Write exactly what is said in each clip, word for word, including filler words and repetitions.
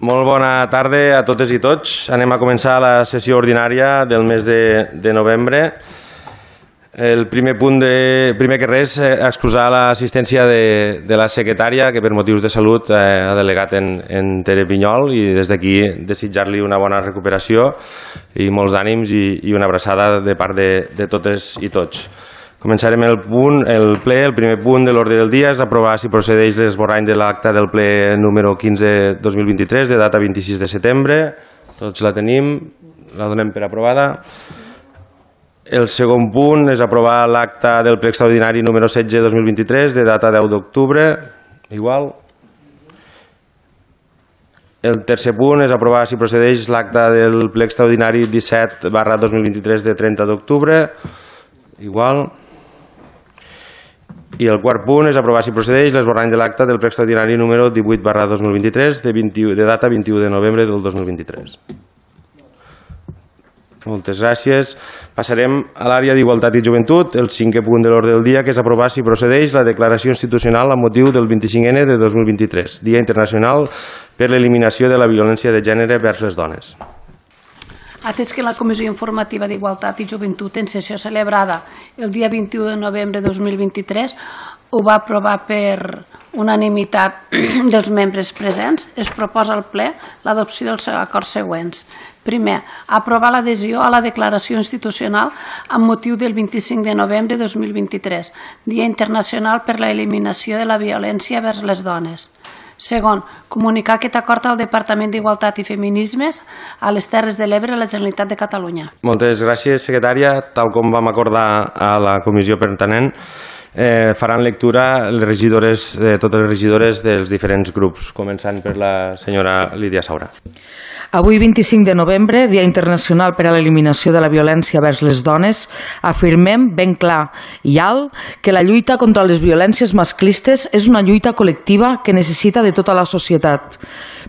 Molt bona tarda a totes i tots. Anem a començar la sessió ordinària del mes de, de novembre. El primer punt, de, primer que res, excusar l'assistència de, de la secretària, que per motius de salut eh, ha delegat en, en Tere Pinyol, i des d'aquí desitjar-li una bona recuperació i molts ànims i, i una abraçada de part de, de totes i tots. Començarem el punt, el ple. El primer punt de l'ordre del dia és aprovar si procedeix l'esborrany de l'acta del ple número quinze dos mil vint-i-tres, de data vint-i-sis de setembre. Tots la tenim, la donem per aprovada. El segon punt és aprovar l'acta del ple extraordinari número setze dos mil vint-i-tres, de data deu d'octubre, igual. El tercer punt és aprovar si procedeix l'acta del ple extraordinari disset barra dos mil vint-i-tres, de trenta d'octubre, igual. I el quart punt és aprovar si procedeix l'esborrany de l'acta del ple extraordinari número divuit barra dos mil vint-i-tres, de, de data vint-i-u de novembre del dos mil vint-i-tres. Moltes gràcies. Passarem a l'àrea d'Igualtat i Joventut, el cinquè punt de l'ordre del dia, que és aprovar si procedeix la declaració institucional amb motiu del vint-i-cinc ene de dos mil vint-i-tres, Dia Internacional per l'Eliminació de la Violència de Gènere vers les Dones. Atès que la Comissió Informativa d'Igualtat i Joventut, en sessió celebrada el dia vint-i-u de novembre de dos mil vint-i-tres, ho va aprovar per unanimitat dels membres presents, es proposa al ple l'adopció dels acords següents. Primer, aprovar l'adhesió a la declaració institucional amb motiu del vint-i-cinc de novembre de dos mil vint-i-tres, Dia Internacional per l'Eliminació de la Violència vers les Dones. Segon, comunicar aquest acord al Departament d'Igualtat i Feminismes a les Terres de l'Ebre a la Generalitat de Catalunya. Moltes gràcies, secretària. Tal com vam acordar a la comissió pertinent, eh, faran lectura les regidores, eh, totes les regidores dels diferents grups, començant per la senyora Lídia Saura. Avui, vint-i-cinc de novembre, Dia Internacional per a l'Eliminació de la Violència vers les Dones, afirmem ben clar i alt que la lluita contra les violències masclistes és una lluita col·lectiva que necessita de tota la societat,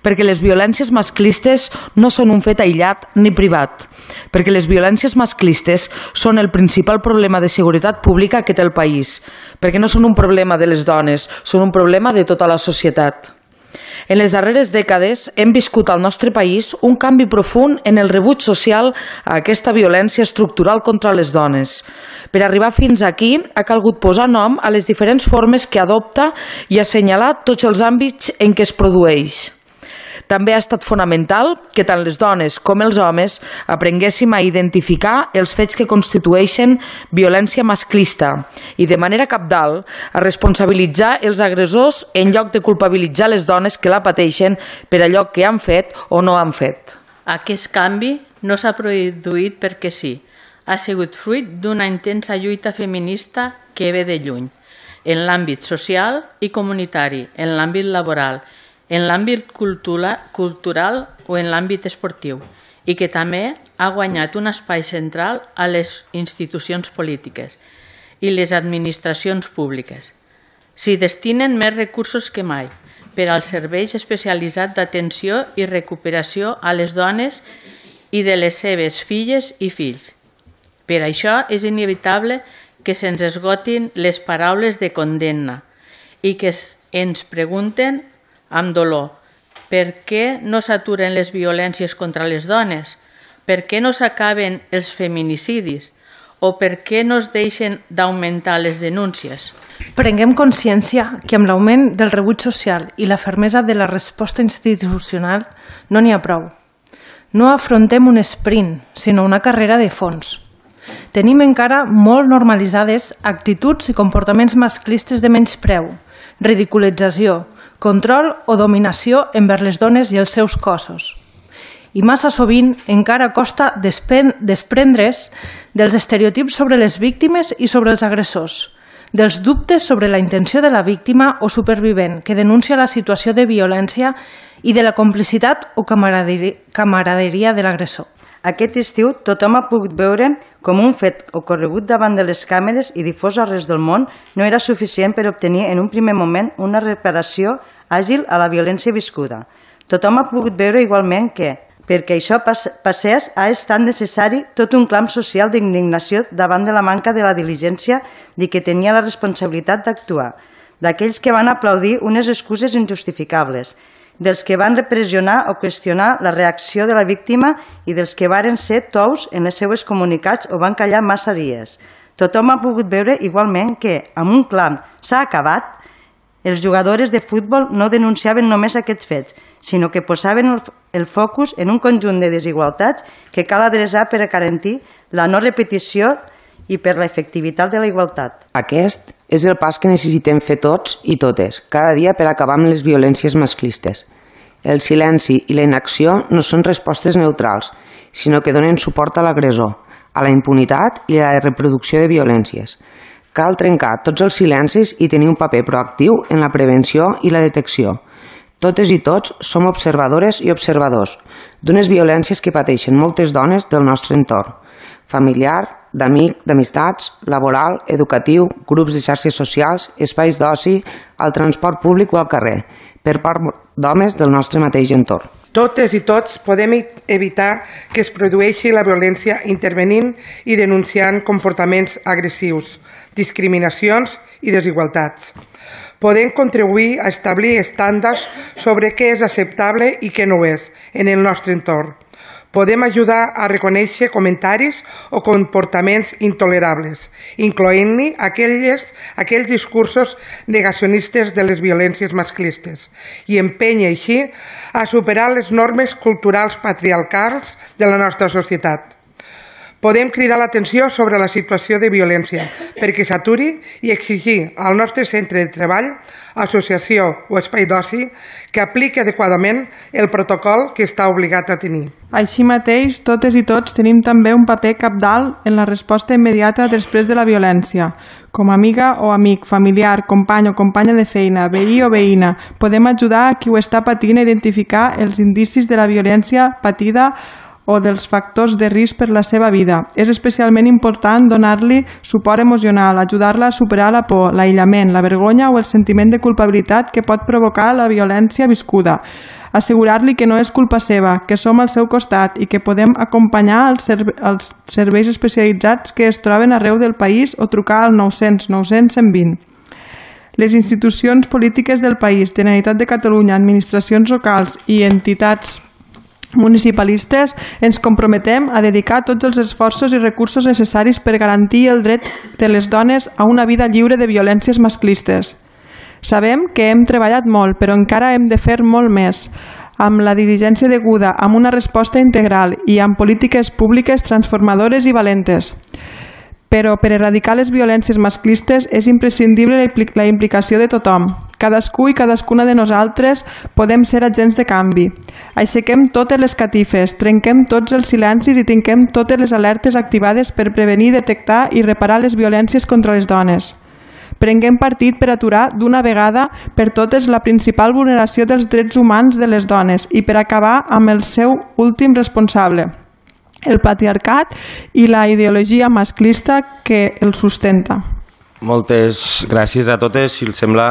perquè les violències masclistes no són un fet aïllat ni privat, perquè les violències masclistes són el principal problema de seguretat pública que té el país, perquè no són un problema de les dones, són un problema de tota la societat. En les darreres dècades hem viscut al nostre país un canvi profund en el rebuig social a aquesta violència estructural contra les dones. Per arribar fins aquí ha calgut posar nom a les diferents formes que adopta i assenyalar tots els àmbits en què es produeix. També ha estat fonamental que tant les dones com els homes aprenguéssim a identificar els fets que constitueixen violència masclista i, de manera cabdal, a responsabilitzar els agressors en lloc de culpabilitzar les dones que la pateixen per allò que han fet o no han fet. Aquest canvi no s'ha produït perquè sí. Ha sigut fruit d'una intensa lluita feminista que ve de lluny, en l'àmbit social i comunitari, en l'àmbit laboral, en l'àmbit cultural o en l'àmbit esportiu, i que també ha guanyat un espai central a les institucions polítiques i les administracions públiques. S'hi destinen més recursos que mai per als serveis especialitzats d'atenció i recuperació a les dones i de les seves filles i fills. Per això és inevitable que se'ns esgotin les paraules de condemna i que ens pregunten amb dolor, per què no s'aturen les violències contra les dones? Per què no s'acaben els feminicidis? O per què no es deixen d'augmentar les denúncies? Prenguem consciència que amb l'augment del rebuig social i la fermesa de la resposta institucional no n'hi ha prou. No afrontem un sprint, sinó una carrera de fons. Tenim encara molt normalitzades actituds i comportaments masclistes de menyspreu, ridiculització, control o dominació envers les dones i els seus cossos. I massa sovint encara costa desprendre's dels estereotips sobre les víctimes i sobre els agressors, dels dubtes sobre la intenció de la víctima o supervivent que denuncia la situació de violència i de la complicitat o camaraderia de l'agressor. Aquest estiu tothom ha pogut veure com un fet ocorregut davant de les càmeres i difós arreu del món no era suficient per obtenir en un primer moment una reparació àgil a la violència viscuda. Tothom ha pogut veure igualment que, perquè això passés, ha estat necessari tot un clam social d'indignació davant de la manca de la diligència de qui tenia la responsabilitat d'actuar, d'aquells que van aplaudir unes excuses injustificables, dels que van repressionar o qüestionar la reacció de la víctima i dels que varen ser tous en les seues comunicats o van callar massa dies. Tothom ha pogut veure igualment que, amb un clam s'ha acabat, els jugadors de futbol no denunciaven només aquests fets, sinó que posaven el, el focus en un conjunt de desigualtats que cal adreçar per a garantir la no repetició i per l'efectivitat de la igualtat. Aquest és el pas que necessitem fer tots i totes, cada dia per acabar amb les violències masclistes. El silenci i la inacció no són respostes neutrals, sinó que donen suport a l'agressor, a la impunitat i a la reproducció de violències. Cal trencar tots els silencis i tenir un paper proactiu en la prevenció i la detecció. Totes i tots som observadores i observadors d'unes violències que pateixen moltes dones del nostre entorn, familiar, d'amic, d'amistats, laboral, educatiu, grups de xarxes socials, espais d'oci, al transport públic o al carrer, per part d'homes del nostre mateix entorn. Totes i tots podem evitar que es produeixi la violència intervenint i denunciant comportaments agressius, discriminacions i desigualtats. Podem contribuir a establir estàndards sobre què és acceptable i què no és en el nostre entorn. Podem ajudar a reconèixer comentaris o comportaments intolerables, incloent-hi aquells, aquells discursos negacionistes de les violències masclistes, i empènyer així a superar les normes culturals patriarcals de la nostra societat. Podem cridar l'atenció sobre la situació de violència perquè s'aturi i exigir al nostre centre de treball, associació o espai d'oci que apliqui adequadament el protocol que està obligat a tenir. Així mateix, totes i tots tenim també un paper cabdal en la resposta immediata després de la violència. Com a amiga o amic, familiar, company o companya de feina, veí o veïna, podem ajudar a qui ho està patint a identificar els indicis de la violència patida o dels factors de risc per la seva vida. És especialment important donar-li suport emocional, ajudar-la a superar la por, l'aïllament, la vergonya o el sentiment de culpabilitat que pot provocar la violència viscuda. Assegurar-li que no és culpa seva, que som al seu costat i que podem acompanyar els, serve els serveis especialitzats que es troben arreu del país o trucar al nou cents nou cents cent vint. Les institucions polítiques del país, Generalitat de Catalunya, administracions locals i entitats municipalistes ens comprometem a dedicar tots els esforços i recursos necessaris per garantir el dret de les dones a una vida lliure de violències masclistes. Sabem que hem treballat molt, però encara hem de fer molt més, amb la diligència deguda, amb una resposta integral i amb polítiques públiques transformadores i valentes. Però per erradicar les violències masclistes és imprescindible la implicació de tothom. Cadascú i cadascuna de nosaltres podem ser agents de canvi. Aixequem totes les catifes, trenquem tots els silencis i tinguem totes les alertes activades per prevenir, detectar i reparar les violències contra les dones. Prenguem partit per aturar d'una vegada per totes la principal vulneració dels drets humans de les dones i per acabar amb el seu últim responsable, el patriarcat i la ideologia masclista que el sustenta. Moltes gràcies a totes. Si els sembla,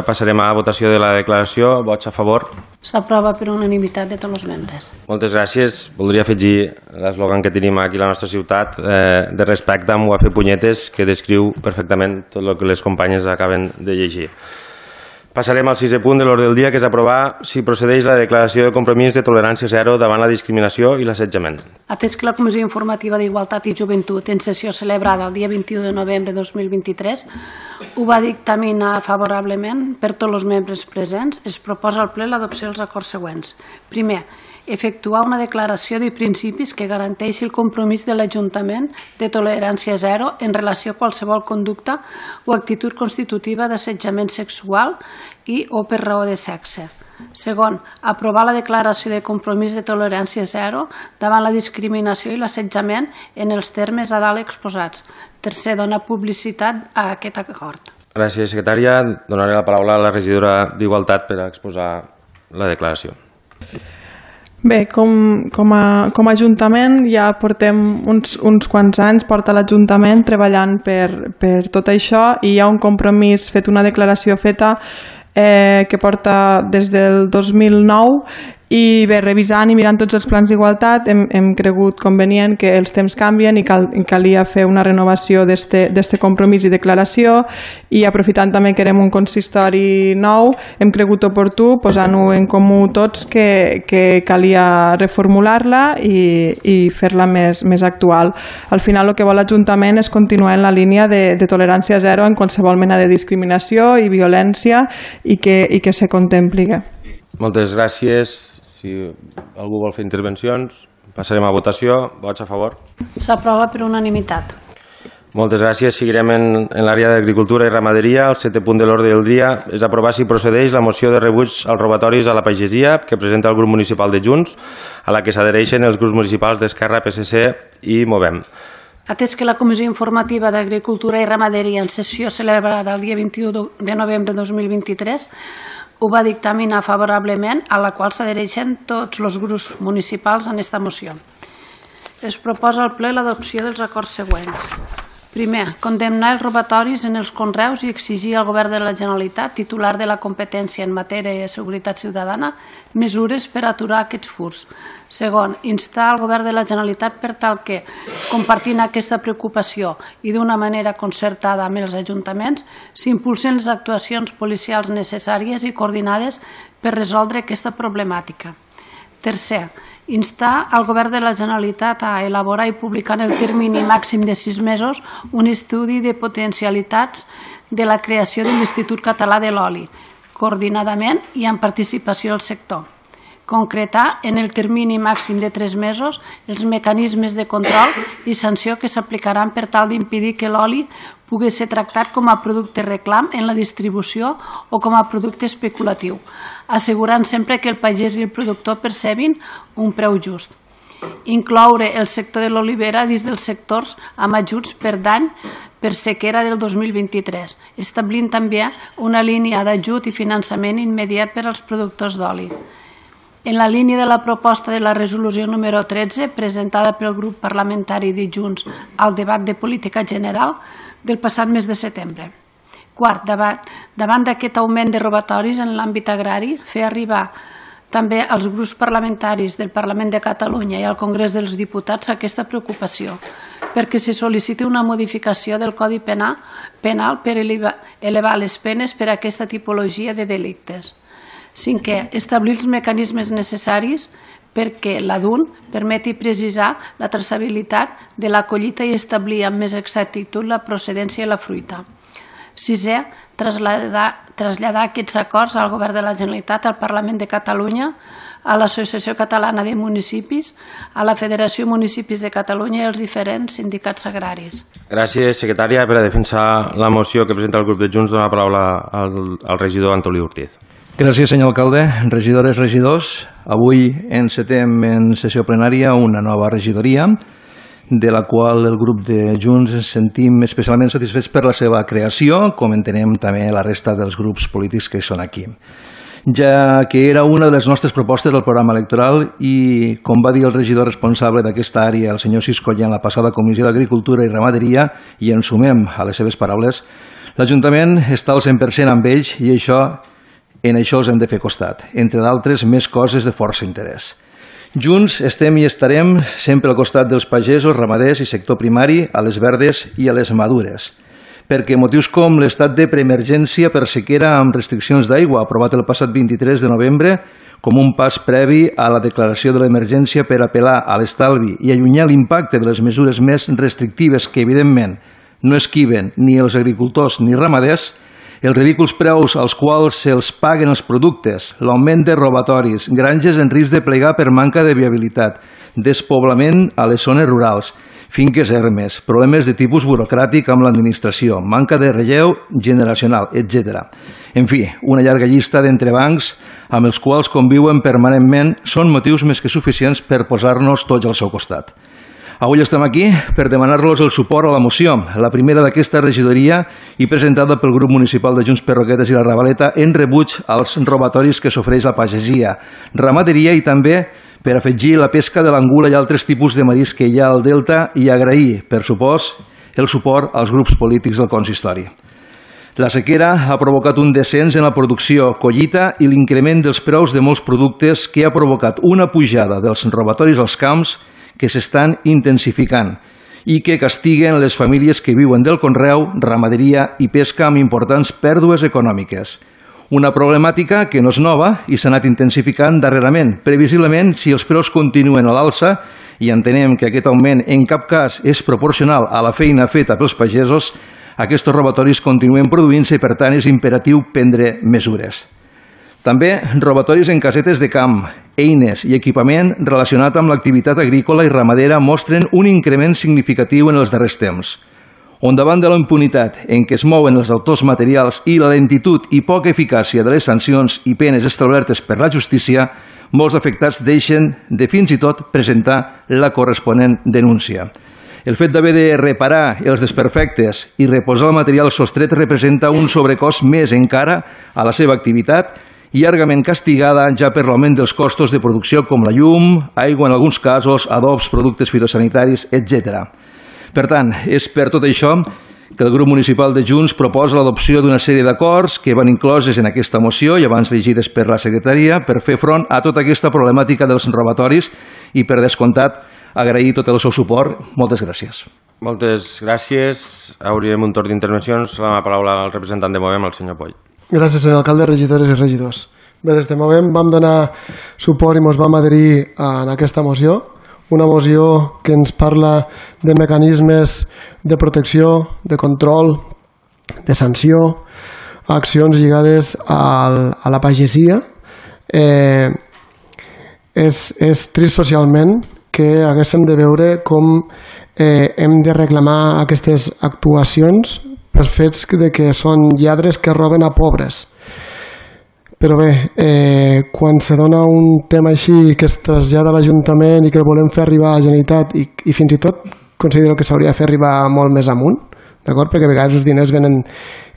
passarem a votació de la declaració. Vots a favor? S'aprova per unanimitat de tots els membres. Moltes gràcies. Voldria afegir l'eslògan que tenim aquí a la nostra ciutat, eh, de respecte amb U A P Punyetes, que descriu perfectament tot el que les companyes acaben de llegir. Passarem al sisè punt de l'ordre del dia, que és aprovar si procedeix la declaració de compromís de tolerància zero davant la discriminació i l'assetjament. Atès que la Comissió Informativa d'Igualtat i Joventut, en sessió celebrada el dia vint-i-u de novembre de dos mil vint-i-tres, ho va dictaminar favorablement per tots els membres presents, es proposa al ple l'adopció dels acords següents. Primer, efectuar una declaració de principis que garanteixi el compromís de l'Ajuntament de tolerància zero en relació a qualsevol conducta o actitud constitutiva d'assetjament sexual i o per raó de sexe. Segon, aprovar la declaració de compromís de tolerància zero davant la discriminació i l'assetjament en els termes a dalt exposats. Tercer, donar publicitat a aquest acord. Gràcies, secretària. Donaré la paraula a la regidora d'Igualtat per exposar la declaració. Bé, com, com, a, com a Ajuntament ja portem uns, uns quants anys, porta l'Ajuntament treballant per, per tot això i hi ha un compromís fet, una declaració feta eh, que porta des del dos mil nou I bé, revisant i mirant tots els plans d'igualtat hem, hem cregut convenient que els temps canvien i cal, calia fer una renovació d'este compromís i declaració, i aprofitant també que érem un consistori nou hem cregut oportú posant-ho en comú tots que, que calia reformular-la i, i fer-la més, més actual. Al final el que vol l'Ajuntament és continuar en la línia de, de tolerància zero en qualsevol mena de discriminació i violència i que, i que se contempli. Moltes gràcies. Si algú vol fer intervencions, passarem a votació. Vots a favor? S'aprova per unanimitat. Moltes gràcies. Seguirem en, en l'àrea d'Agricultura i Ramaderia. El setè punt de l'ordre del dia és aprovar si procedeix la moció de rebuig als robatoris a la pagesia que presenta el grup municipal de Junts, a la que s'adhereixen els grups municipals d'Esquerra, P S C i Movem. Atès que la Comissió Informativa d'Agricultura i Ramaderia en sessió celebrada el dia vint-i-u de novembre de dos mil vint-i-tres ho va dictaminar favorablement, a la qual s'adhereixen tots els grups municipals en esta moció. Es proposa al ple l'adopció dels acords següents. Primer, condemnar els robatoris en els conreus i exigir al Govern de la Generalitat, titular de la competència en matèria de seguretat ciutadana, mesures per aturar aquests furts. Segon, instar al Govern de la Generalitat per tal que, compartint aquesta preocupació i d'una manera concertada amb els ajuntaments, s'impulsen les actuacions policials necessàries i coordinades per resoldre aquesta problemàtica. Tercer, instar al Govern de la Generalitat a elaborar i publicar en el termini màxim de sis mesos un estudi de potencialitats de la creació de l'Institut Català de l'Oli, coordinadament i amb participació del sector. Concretar en el termini màxim de tres mesos els mecanismes de control i sanció que s'aplicaran per tal d'impedir que l'oli pugui ser tractat com a producte reclam en la distribució o com a producte especulatiu, assegurant sempre que el pagès i el productor percebin un preu just. Incloure el sector de l'olivera dins dels sectors amb ajuts per dany per sequera del dos mil vint-i-tres, establint també una línia d'ajut i finançament immediat per als productors d'oli. En la línia de la proposta de la resolució número tretze, presentada pel grup parlamentari de Junts al debat de política general del passat mes de setembre. Quart, davant, davant d'aquest augment de robatoris en l'àmbit agrari, fer arribar també als grups parlamentaris del Parlament de Catalunya i al Congrés dels Diputats aquesta preocupació, perquè se sol·liciti una modificació del Codi Penal, penal per elevar les penes per a aquesta tipologia de delictes. Cinquè, establir els mecanismes necessaris perquè la D U N permeti precisar la traçabilitat de la collita i establir amb més exactitud la procedència de la fruita. Sisè, traslladar, traslladar aquests acords al Govern de la Generalitat, al Parlament de Catalunya, a l'Associació Catalana de Municipis, a la Federació Municipis de Catalunya i als diferents sindicats agraris. Gràcies, secretària. Per a defensar la moció que presenta el grup de Junts, dona la paraula al, al regidor Antolí Ortiz. Gràcies, senyor alcalde. Regidores, regidors, avui encetem en sessió plenària una nova regidoria, de la qual el grup de Junts ens sentim especialment satisfets per la seva creació, com entenem també la resta dels grups polítics que són aquí. Ja que era una de les nostres propostes del programa electoral i, com va dir el regidor responsable d'aquesta àrea, el senyor Siscolla, en la passada Comissió d'Agricultura i Ramaderia, i ens sumem a les seves paraules, l'Ajuntament està al cent per cent amb ells i això en això els hem de fer costat, entre d'altres més coses de força interès. Junts estem i estarem sempre al costat dels pagesos, ramaders i sector primari, a les verdes i a les madures, perquè motius com l'estat de preemergència per sequera amb restriccions d'aigua, aprovat el passat vint-i-tres de novembre, com un pas previ a la declaració de l'emergència per apel·lar a l'estalvi i allunyar l'impacte de les mesures més restrictives que, evidentment, no esquiven ni els agricultors ni ramaders, els ridículs preus als quals se'ls paguen els productes, l'augment de robatoris, granges en risc de plegar per manca de viabilitat, despoblament a les zones rurals, finques ermes, problemes de tipus burocràtic amb l'administració, manca de relleu generacional, etcètera. En fi, una llarga llista d'entrebancs amb els quals conviuen permanentment són motius més que suficients per posar-nos tots al seu costat. Avui estem aquí per demanar-los el suport a la moció, la primera d'aquesta regidoria i presentada pel grup municipal de Junts per Roquetes i la Ravaleta en rebuig als robatoris que s'ofereix la pagesia, ramaderia i també per afegir la pesca de l'angula i altres tipus de marisc que hi ha al delta i agrair, per supòs, el suport als grups polítics del consistori. La sequera ha provocat un descens en la producció, collita i l'increment dels preus de molts productes que ha provocat una pujada dels robatoris als camps que s'estan intensificant i que castiguen les famílies que viuen del conreu, ramaderia i pesca amb importants pèrdues econòmiques. Una problemàtica que no és nova i s'ha anat intensificant darrerament. Previsiblement, si els preus continuen a l'alça i entenem que aquest augment en cap cas és proporcional a la feina feta pels pagesos, aquests robatoris continuen produint-se i, per tant, és imperatiu prendre mesures. També robatoris en casetes de camp, eines i equipament relacionat amb l'activitat agrícola i ramadera mostren un increment significatiu en els darrers temps, on davant de la impunitat en què es mouen els autors materials i la lentitud i poca eficàcia de les sancions i penes establertes per la justícia, molts afectats deixen de fins i tot presentar la corresponent denúncia. El fet d'haver de reparar els desperfectes i reposar el material sostret representa un sobrecost més encara a la seva activitat, llargament castigada ja per l'augment dels costos de producció com la llum, aigua en alguns casos, adobs, productes fitosanitaris, etcètera. Per tant, és per tot això que el grup municipal de Junts proposa l'adopció d'una sèrie d'acords que van incloses en aquesta moció i abans llegides per la secretaria per fer front a tota aquesta problemàtica dels robatoris i, per descomptat, agrair tot el seu suport. Moltes gràcies. Moltes gràcies. Obrirem un torn d'intervencions. La paraula al representant de Movem, el senyor Poll. Gràcies, senyor alcalde, regidores i regidors. Bé, des de Movem vam donar suport i ens vam adherir en aquesta moció, una moció que ens parla de mecanismes de protecció, de control, de sanció, accions lligades al, a la pagesia. Eh, és, és trist socialment que haguéssim de veure com eh, hem de reclamar aquestes actuacions per fets de que són lladres que roben a pobres. Però bé, eh, quan se dona un tema així que es trasllada a l'Ajuntament i que el volem fer arribar a la Generalitat i, i fins i tot considero que s'hauria de fer arribar molt més amunt, d'acord? Perquè a vegades els diners venen,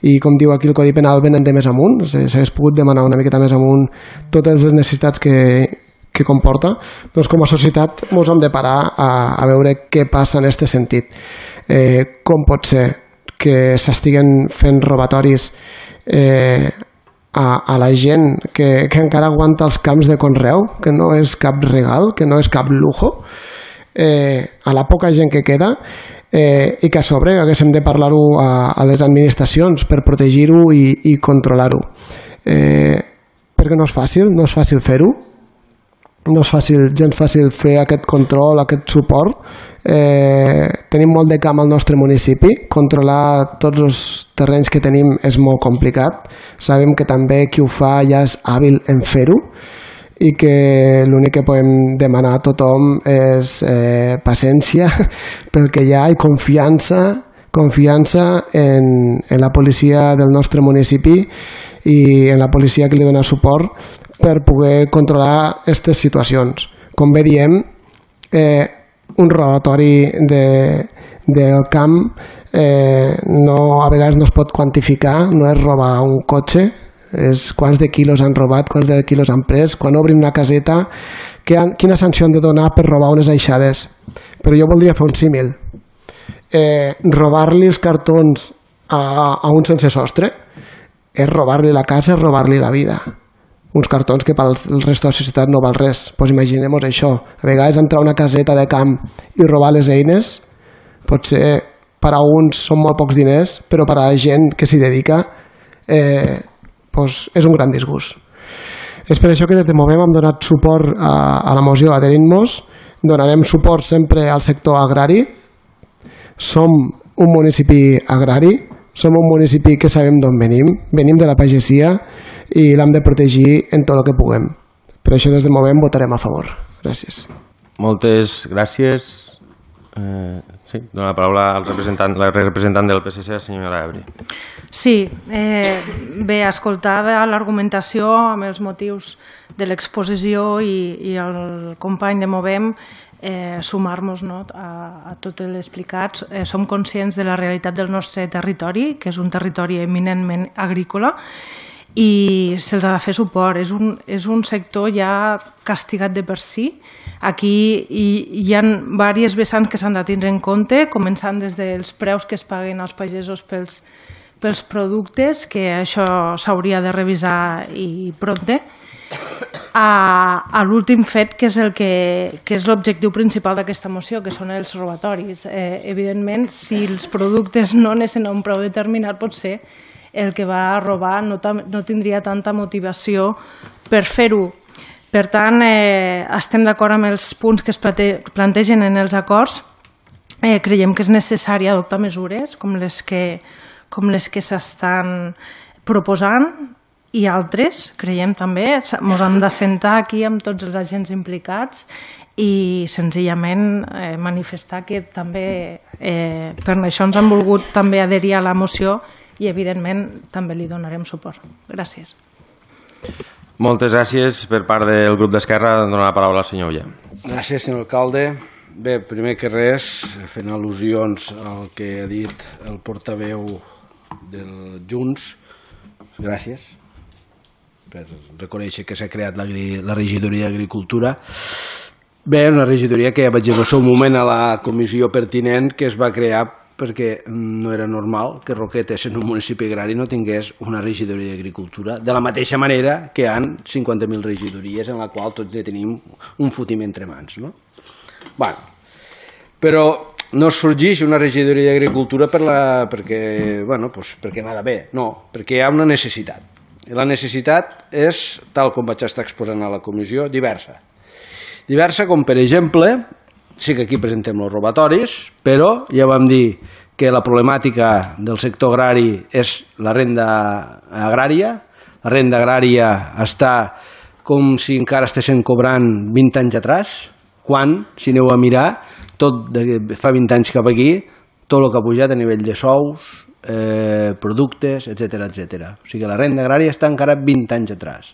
i com diu aquí el Codi Penal, venen de més amunt, s'hagués pogut demanar una miqueta més amunt totes les necessitats que, que comporta, doncs com a societat ens hem de parar a, a veure què passa en aquest sentit. Eh, com pot ser que s'estiguen fent robatoris eh, a, a la gent que, que encara aguanta els camps de conreu, que no és cap regal, que no és cap lujo, eh, a la poca gent que queda, eh, i que a sobre haguéssim de parlar-ho a, a les administracions per protegir-ho i, i controlar-ho. Eh, perquè no és fàcil, no és fàcil fer-ho, no és fàcil, gens fàcil fer aquest control, aquest suport. Eh, tenim molt de camp al nostre municipi, controlar tots els terrenys que tenim és molt complicat. Sabem que també qui ho fa ja és hàbil en fer-ho i que l'únic que podem demanar a tothom és eh, paciència pel que hi ha i confiança, confiança en, en la policia del nostre municipi i en la policia que li dona suport per poder controlar aquestes situacions. Com bé diem, eh, un robatori de, del camp eh, no, a vegades no es pot quantificar, no és robar un cotxe, és quants de quilos han robat, quants de quilos han pres, quan obrin una caseta, que han, quina sanció han de donar per robar unes aixades. Però jo voldria fer un símil. Eh, robar-li els cartons a, a un sense sostre és robar-li la casa, és robar-li la vida. Uns cartons que pel resto de la societat no val res. Pues imaginem-nos això. A vegades entrar a una caseta de camp i robar les eines, potser per a uns són molt pocs diners, però per a la gent que s'hi dedica eh, pues és un gran disgust. És per això que des de Movem hem donat suport a, a la moció adherint-nos, donarem suport sempre al sector agrari. Som un municipi agrari, som un municipi que sabem d'on venim, venim de la pagesia i l'hem de protegir en tot el que puguem. Per això des de Movem votarem a favor. Gràcies. Moltes gràcies. Eh, sí, dono la paraula al representant, la representant del P S C, la senyora Ebri. Sí, eh, bé, escoltada l'argumentació amb els motius de l'exposició i, i el company de Movem, eh, sumar-nos no, a, a tot l'explicat. Eh, som conscients de la realitat del nostre territori, que és un territori eminentment agrícola, i se'ls ha de fer suport. És un, és un sector ja castigat de per si. Aquí hi, hi ha diverses vessants que s'han de tindre en compte, començant des dels preus que es paguen als pagesos pels, pels productes, que això s'hauria de revisar i prompte, a, a l'últim fet, que és el que, que és l'objectiu principal d'aquesta moció, que són els robatoris. Eh, evidentment, si els productes no anessin a un preu determinat, potser el que va a robar no, no tindria tanta motivació per fer-ho. Per tant, eh, estem d'acord amb els punts que es plantegen en els acords. Eh, creiem que és necessari adoptar mesures com les que, com les que s'estan proposant, i altres, creiem també, ens hem d'assentar aquí amb tots els agents implicats i senzillament eh, manifestar que també eh, per això ens han volgut també adherir a la moció i evidentment també li donarem suport. Gràcies. Moltes gràcies per part del grup d'Esquerra. Donar la paraula al senyor Ulla. Gràcies, senyor alcalde. Bé, primer que res, fent al·lusions al que ha dit el portaveu del Junts, gràcies per reconèixer que s'ha creat la, la regidoria d'Agricultura. Bé, una regidoria que ja vaig dir en el seu moment a la comissió pertinent que es va crear perquè no era normal que Roquetes en un municipi agrari no tingués una regidoria d'Agricultura, de la mateixa manera que hi ha cinquanta mil regidories en la qual tots tenim un fotim entre mans, no? Bueno, però no sorgeix una regidoria d'Agricultura per la, perquè, bueno, pues perquè anava bé, no, perquè hi ha una necessitat. I la necessitat és, tal com vaig estar exposant a la comissió, diversa. Diversa com, per exemple, sí que aquí presentem els robatoris, però ja vam dir que la problemàtica del sector agrari és la renda agrària. La renda agrària està com si encara estessin cobrant vint anys atrás, quan, si aneu a mirar, tot de fa vint anys cap aquí, tot el que ha pujat a nivell de sous, Eh, productes, etcètera, etcètera. O sigui, la renda agrària està encara vint anys atrás.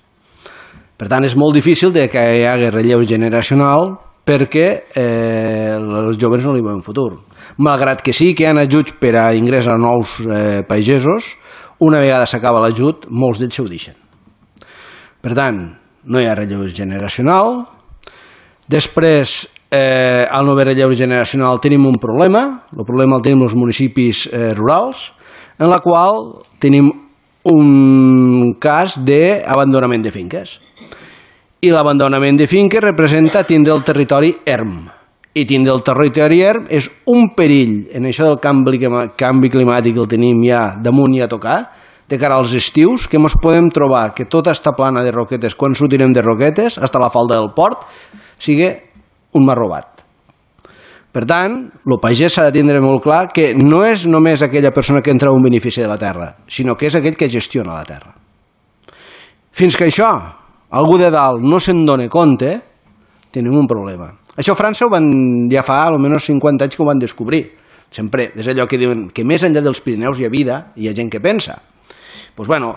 Per tant, és molt difícil de que hi hagi relleu generacional perquè eh, els joves no li veuen futur. Malgrat que sí que hi ha ajuts per a ingrés a nous eh, pagesos, una vegada s'acaba l'ajut, molts d'ells ho deixen. Per tant, no hi ha relleu generacional. Després, eh, al no haver relleu generacional tenim un problema. El problema el tenim els municipis eh, rurals, en la qual tenim un cas d'abandonament de finques. I l'abandonament de finques representa tindre el territori erm. I tindre el territori erm és un perill en això del canvi, canvi climàtic que el tenim ja damunt i a tocar, de cara als estius, que ens podem trobar que tota esta plana de Roquetes, quan sortirem de Roquetes, fins a la falda del port, sigui un mar robat. Per tant, el pagès s'ha de tindre molt clar que no és només aquella persona que entra un benefici de la terra, sinó que és aquell que gestiona la terra. Fins que això, algú de dalt no se'n dona compte, tenim un problema. Això a França ho van, ja fa almenys cinquanta anys que ho van descobrir. Sempre és allò que diuen que més enllà dels Pirineus hi ha vida, hi ha gent que pensa. Doncs bueno,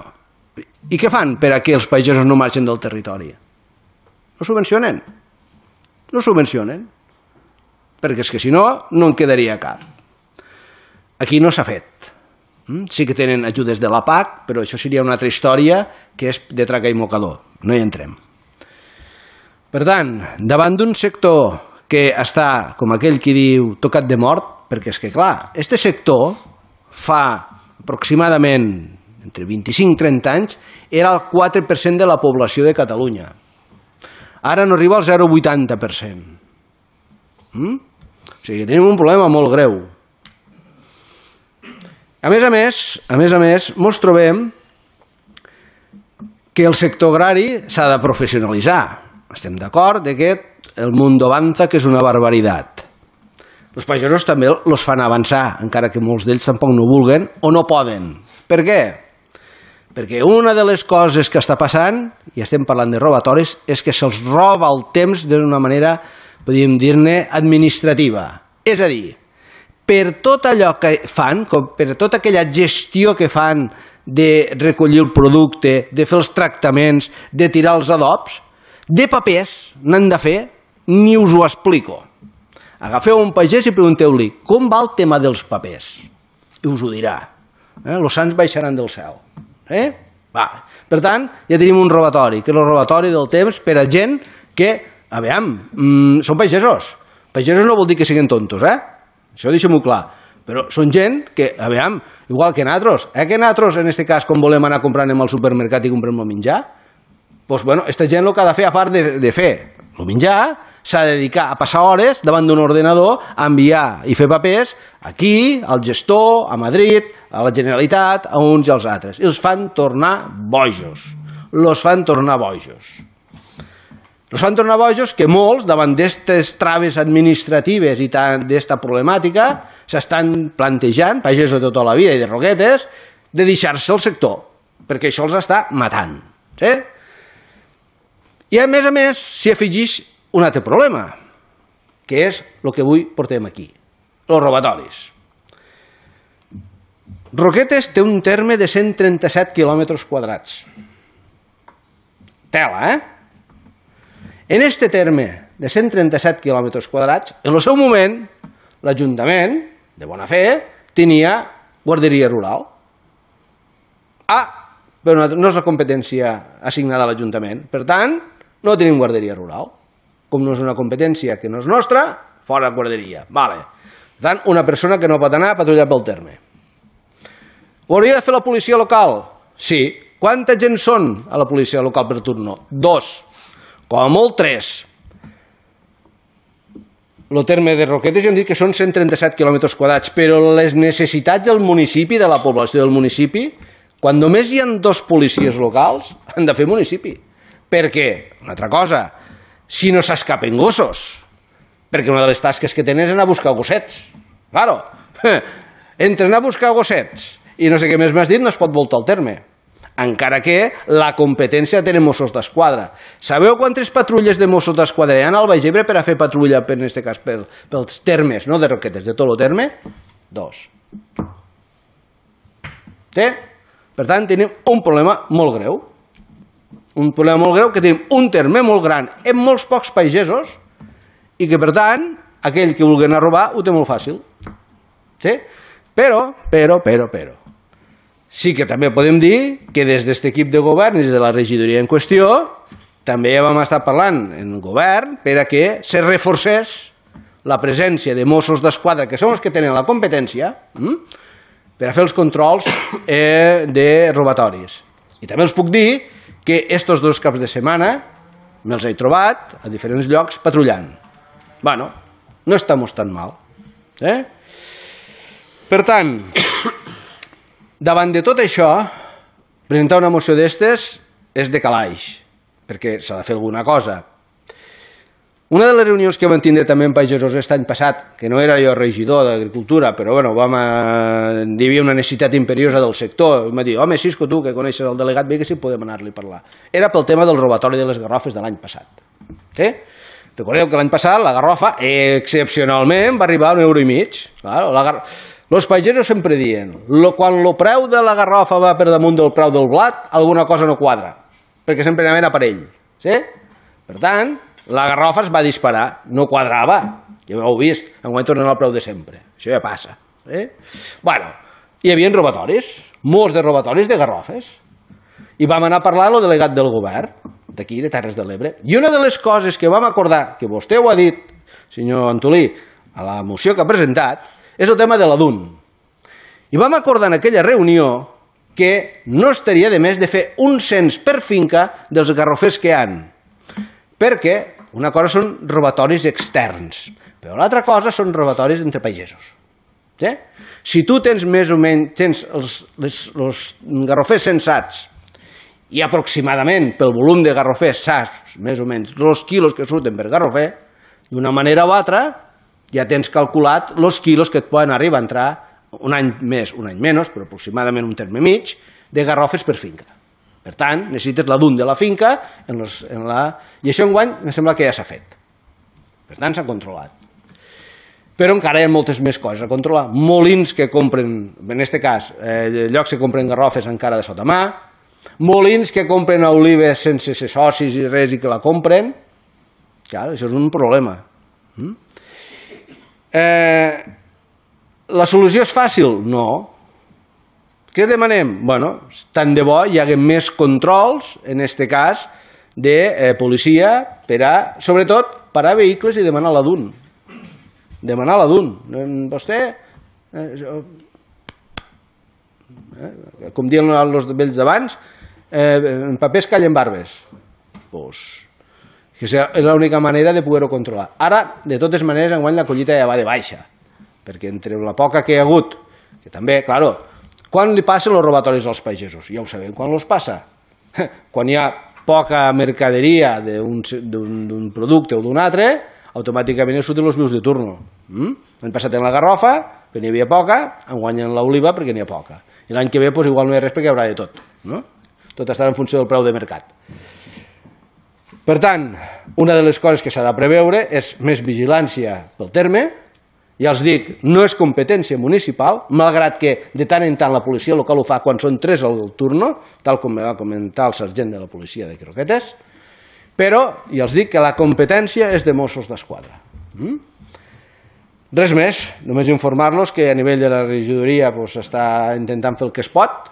i què fan per a que els pagesos no marxen del territori? No subvencionen. No subvencionen. Perquè és que si no, no en quedaria cap. Aquí no s'ha fet. Sí que tenen ajudes de la P A C, però això seria una altra història que és de traca i mocador. No hi entrem. Per tant, davant d'un sector que està, com aquell qui diu, tocat de mort, perquè és que, clar, este sector fa aproximadament entre vint-i-cinc i trenta anys era el quatre per cent de la població de Catalunya. Ara no arriba al zero coma vuitanta per cent. Mm? O sigui, tenim un problema molt greu. A més a més, a més a més, mos trobem que el sector agrari s'ha de professionalitzar. Estem d'acord que el mundo avanza, que és una barbaritat. Els pagesos també els fan avançar, encara que molts d'ells tampoc no vulguen o no poden. Per què? Perquè una de les coses que està passant, i estem parlant de robatoris, és que se'ls roba el temps d'una manera, podríem dir-ne, administrativa. És a dir, per tot allò que fan, per tota aquella gestió que fan de recollir el producte, de fer els tractaments, de tirar els adobs, de papers n'han de fer, ni us ho explico. Agafeu un pagès i pregunteu-li com va el tema dels papers. I us ho dirà. Eh? Los sants baixaran del cel. Eh? Va. Per tant, ja tenim un robatori, que és el robatori del temps per a gent que, a veure, mm, són pagesos. Pagesos no vol dir que siguin tontos, eh? Això deixem-ho clar. però són gent que, a veure, igual que nosaltres, eh, que nosaltres, en aquest cas, com volem anar comprant al supermercat i comprem el menjar, doncs, bueno, aquesta gent el que ha de fer, a part de, de fer el menjar, s'ha de dedicar a passar hores davant d'un ordenador, a enviar i fer papers aquí, al gestor, a Madrid, a la Generalitat, a uns i als altres. I els fan tornar bojos. Los fan tornar bojos. Els fan tornar bojos que molts, davant d'aquestes traves administratives i d'esta problemàtica, s'estan plantejant, pagesos de tota la vida i de Roquetes, de deixar-se el sector, perquè això els està matant. Sí? I a més a més s'hi afegeix un altre problema, que és el que avui portem aquí, els robatoris. Roquetes té un terme de cent trenta-set quilòmetres quadrats. Tela, eh? En este terme de cent trenta-set quilòmetres quadrats, en el seu moment, l'Ajuntament, de bona fe, tenia guarderia rural. Ah, però no és la competència assignada a l'Ajuntament. Per tant, no tenim guarderia rural. Com no és una competència que no és nostra, fora guarderia. Vale. Per tant, una persona que no pot anar a patrullar pel terme. Ho hauria de fer la policia local? Sí. Quanta gent són a la policia local per turno? Dos. Com a molt, tres. El terme de Roquetes ja hem dit que són cent trenta-set quilòmetres quadrats, però les necessitats del municipi, de la població del municipi, quan només hi ha dos policies locals, han de fer municipi. Per què? Una altra cosa, si no s'escapen gossos, perquè una de les tasques que tenen és anar a buscar gossets. Claro, entre anar a buscar gossets i no sé què més m'has dit, no es pot voltar el terme. Encara que la competència tenen Mossos d'Esquadra. Sabeu quantes patrulles de Mossos d'Esquadra hi ha al Baix Ebre per a fer patrulla, per, en aquest cas, per, pels termes, no de Roquetes, de tot el terme? Dos. Sí? Per tant, tenim un problema molt greu. Un problema molt greu, que tenim un terme molt gran amb molts pocs pagesos i que, per tant, aquell que vulgui anar a robar ho té molt fàcil. Sí? Però, però, però, però. Sí que també podem dir que des d'aquest equip de govern i des de la regidoria en qüestió també vam estar parlant en el govern per a que se reforcés la presència de Mossos d'Esquadra, que són els que tenen la competència, per a fer els controls eh, de robatoris. I també els puc dir que estos dos caps de setmana me'ls he trobat a diferents llocs patrullant. Bueno, no estamos tan mal. Eh? Per tant, davant de tot això, presentar una moció d'estes és de calaix, perquè s'ha de fer alguna cosa. Una de les reunions que vam tindre també en pagesos aquest any passat, que no era jo regidor d'Agricultura, però bueno, vam a... hi havia una necessitat imperiosa del sector, i em va dir, home, Cisco, tu que coneixes el delegat, bé que sí podem anar-li a parlar. Era pel tema del robatori de les garrofes de l'any passat. Sí? Recordeu que l'any passat la garrofa, excepcionalment, va arribar a un euro i mig. Claro, la gar... Els pagesos sempre diuen, quan el preu de la garrofa va per damunt del preu del blat, alguna cosa no quadra, perquè sempre anaven a parell. Sí? Per tant, la garrofa es va disparar, no quadrava, ja ho heu vist, enguany tornen al preu de sempre, això ja passa. Eh? Bueno, hi havia robatoris, molts de robatoris de garrofes, i vam anar a parlar amb el delegat del govern, d'aquí, de Terres de l'Ebre, i una de les coses que vam acordar, que vostè ho ha dit, senyor Antolí, a la moció que ha presentat, és el tema de la D U N. I vam acordar en aquella reunió que no estaria de més de fer un cens per finca dels garrofers que hi ha. Perquè una cosa són robatoris externs, però l'altra cosa són robatoris entre pagesos. Sí? Si tu tens més o menys tens els, les, els garrofers censats i aproximadament pel volum de garrofers saps més o menys els quilos que surten per garrofer, d'una manera o altra ja tens calculat els quilos que et poden arribar a entrar un any més, un any menys, però aproximadament un terme mig, de garrofes per finca. Per tant, necessites la D U N de la finca en los, en la... i això enguany em sembla que ja s'ha fet. Per tant, s'ha controlat. Però encara hi ha moltes més coses a controlar. Molins que compren, en aquest cas, eh, llocs que compren garrofes encara de sota mà, molins que compren olives sense ser socis i res i que la compren. Clar, això és un problema. Mm? Eh, la solució és fàcil? No. Què demanem? Bueno, tant de bo hi hagi més controls, en aquest cas, de eh, policia, per a, sobretot, parar vehicles i demanar la D U N. Demanar la D U N. Vostè Com diuen els vells d'abans, en papers callen barbes. Doncs que és l'única manera de poder-ho controlar. Ara, de totes maneres, enguany la collita ja va de baixa, perquè entre la poca que hi ha hagut, que també, claro, quan li passen els robatoris als pagesos? Ja ho sabem, quan els passa? Quan hi ha poca mercaderia d'un producte o d'un altre, automàticament surten els vius de turno. L'any passat en la garrofa, perquè n'hi havia poca, enguany en l'oliva perquè n'hi ha poca. I l'any que ve igual no hi ha res perquè hi haurà de tot. Tot estarà en funció del preu de mercat. Per tant, una de les coses que s'ha de preveure és més vigilància pel terme. Ja els dic, no és competència municipal, malgrat que de tant en tant la policia local ho fa quan són tres al turno, tal com va comentar el sergent de la policia de Croquetes, però ja els dic que la competència és de Mossos d'Esquadra. Res més, només informar-los que a nivell de la regidoria s'està intentant fer el que es pot,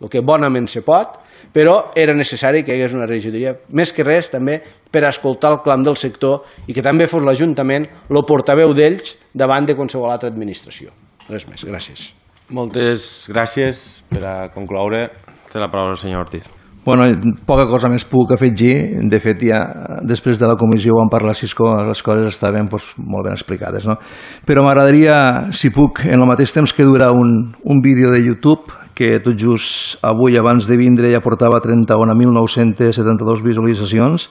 el que bonament se pot, però era necessari que hi hagués una regidoria, més que res també per escoltar el clam del sector i que també fos l'Ajuntament el portaveu d'ells davant de qualsevol altra administració. Res més, gràcies. Moltes gràcies. Per a concloure, té la paraula el senyor Ortiz. Bueno, poca cosa més puc afegir. De fet, ja després de la comissió vam parlar si les coses estaven doncs, molt ben explicades. No? Però m'agradaria, si puc, en el mateix temps que dura un, un vídeo de YouTube que tot just avui, abans de vindre, ja portava trenta-un mil nou-cents setanta-dos visualitzacions,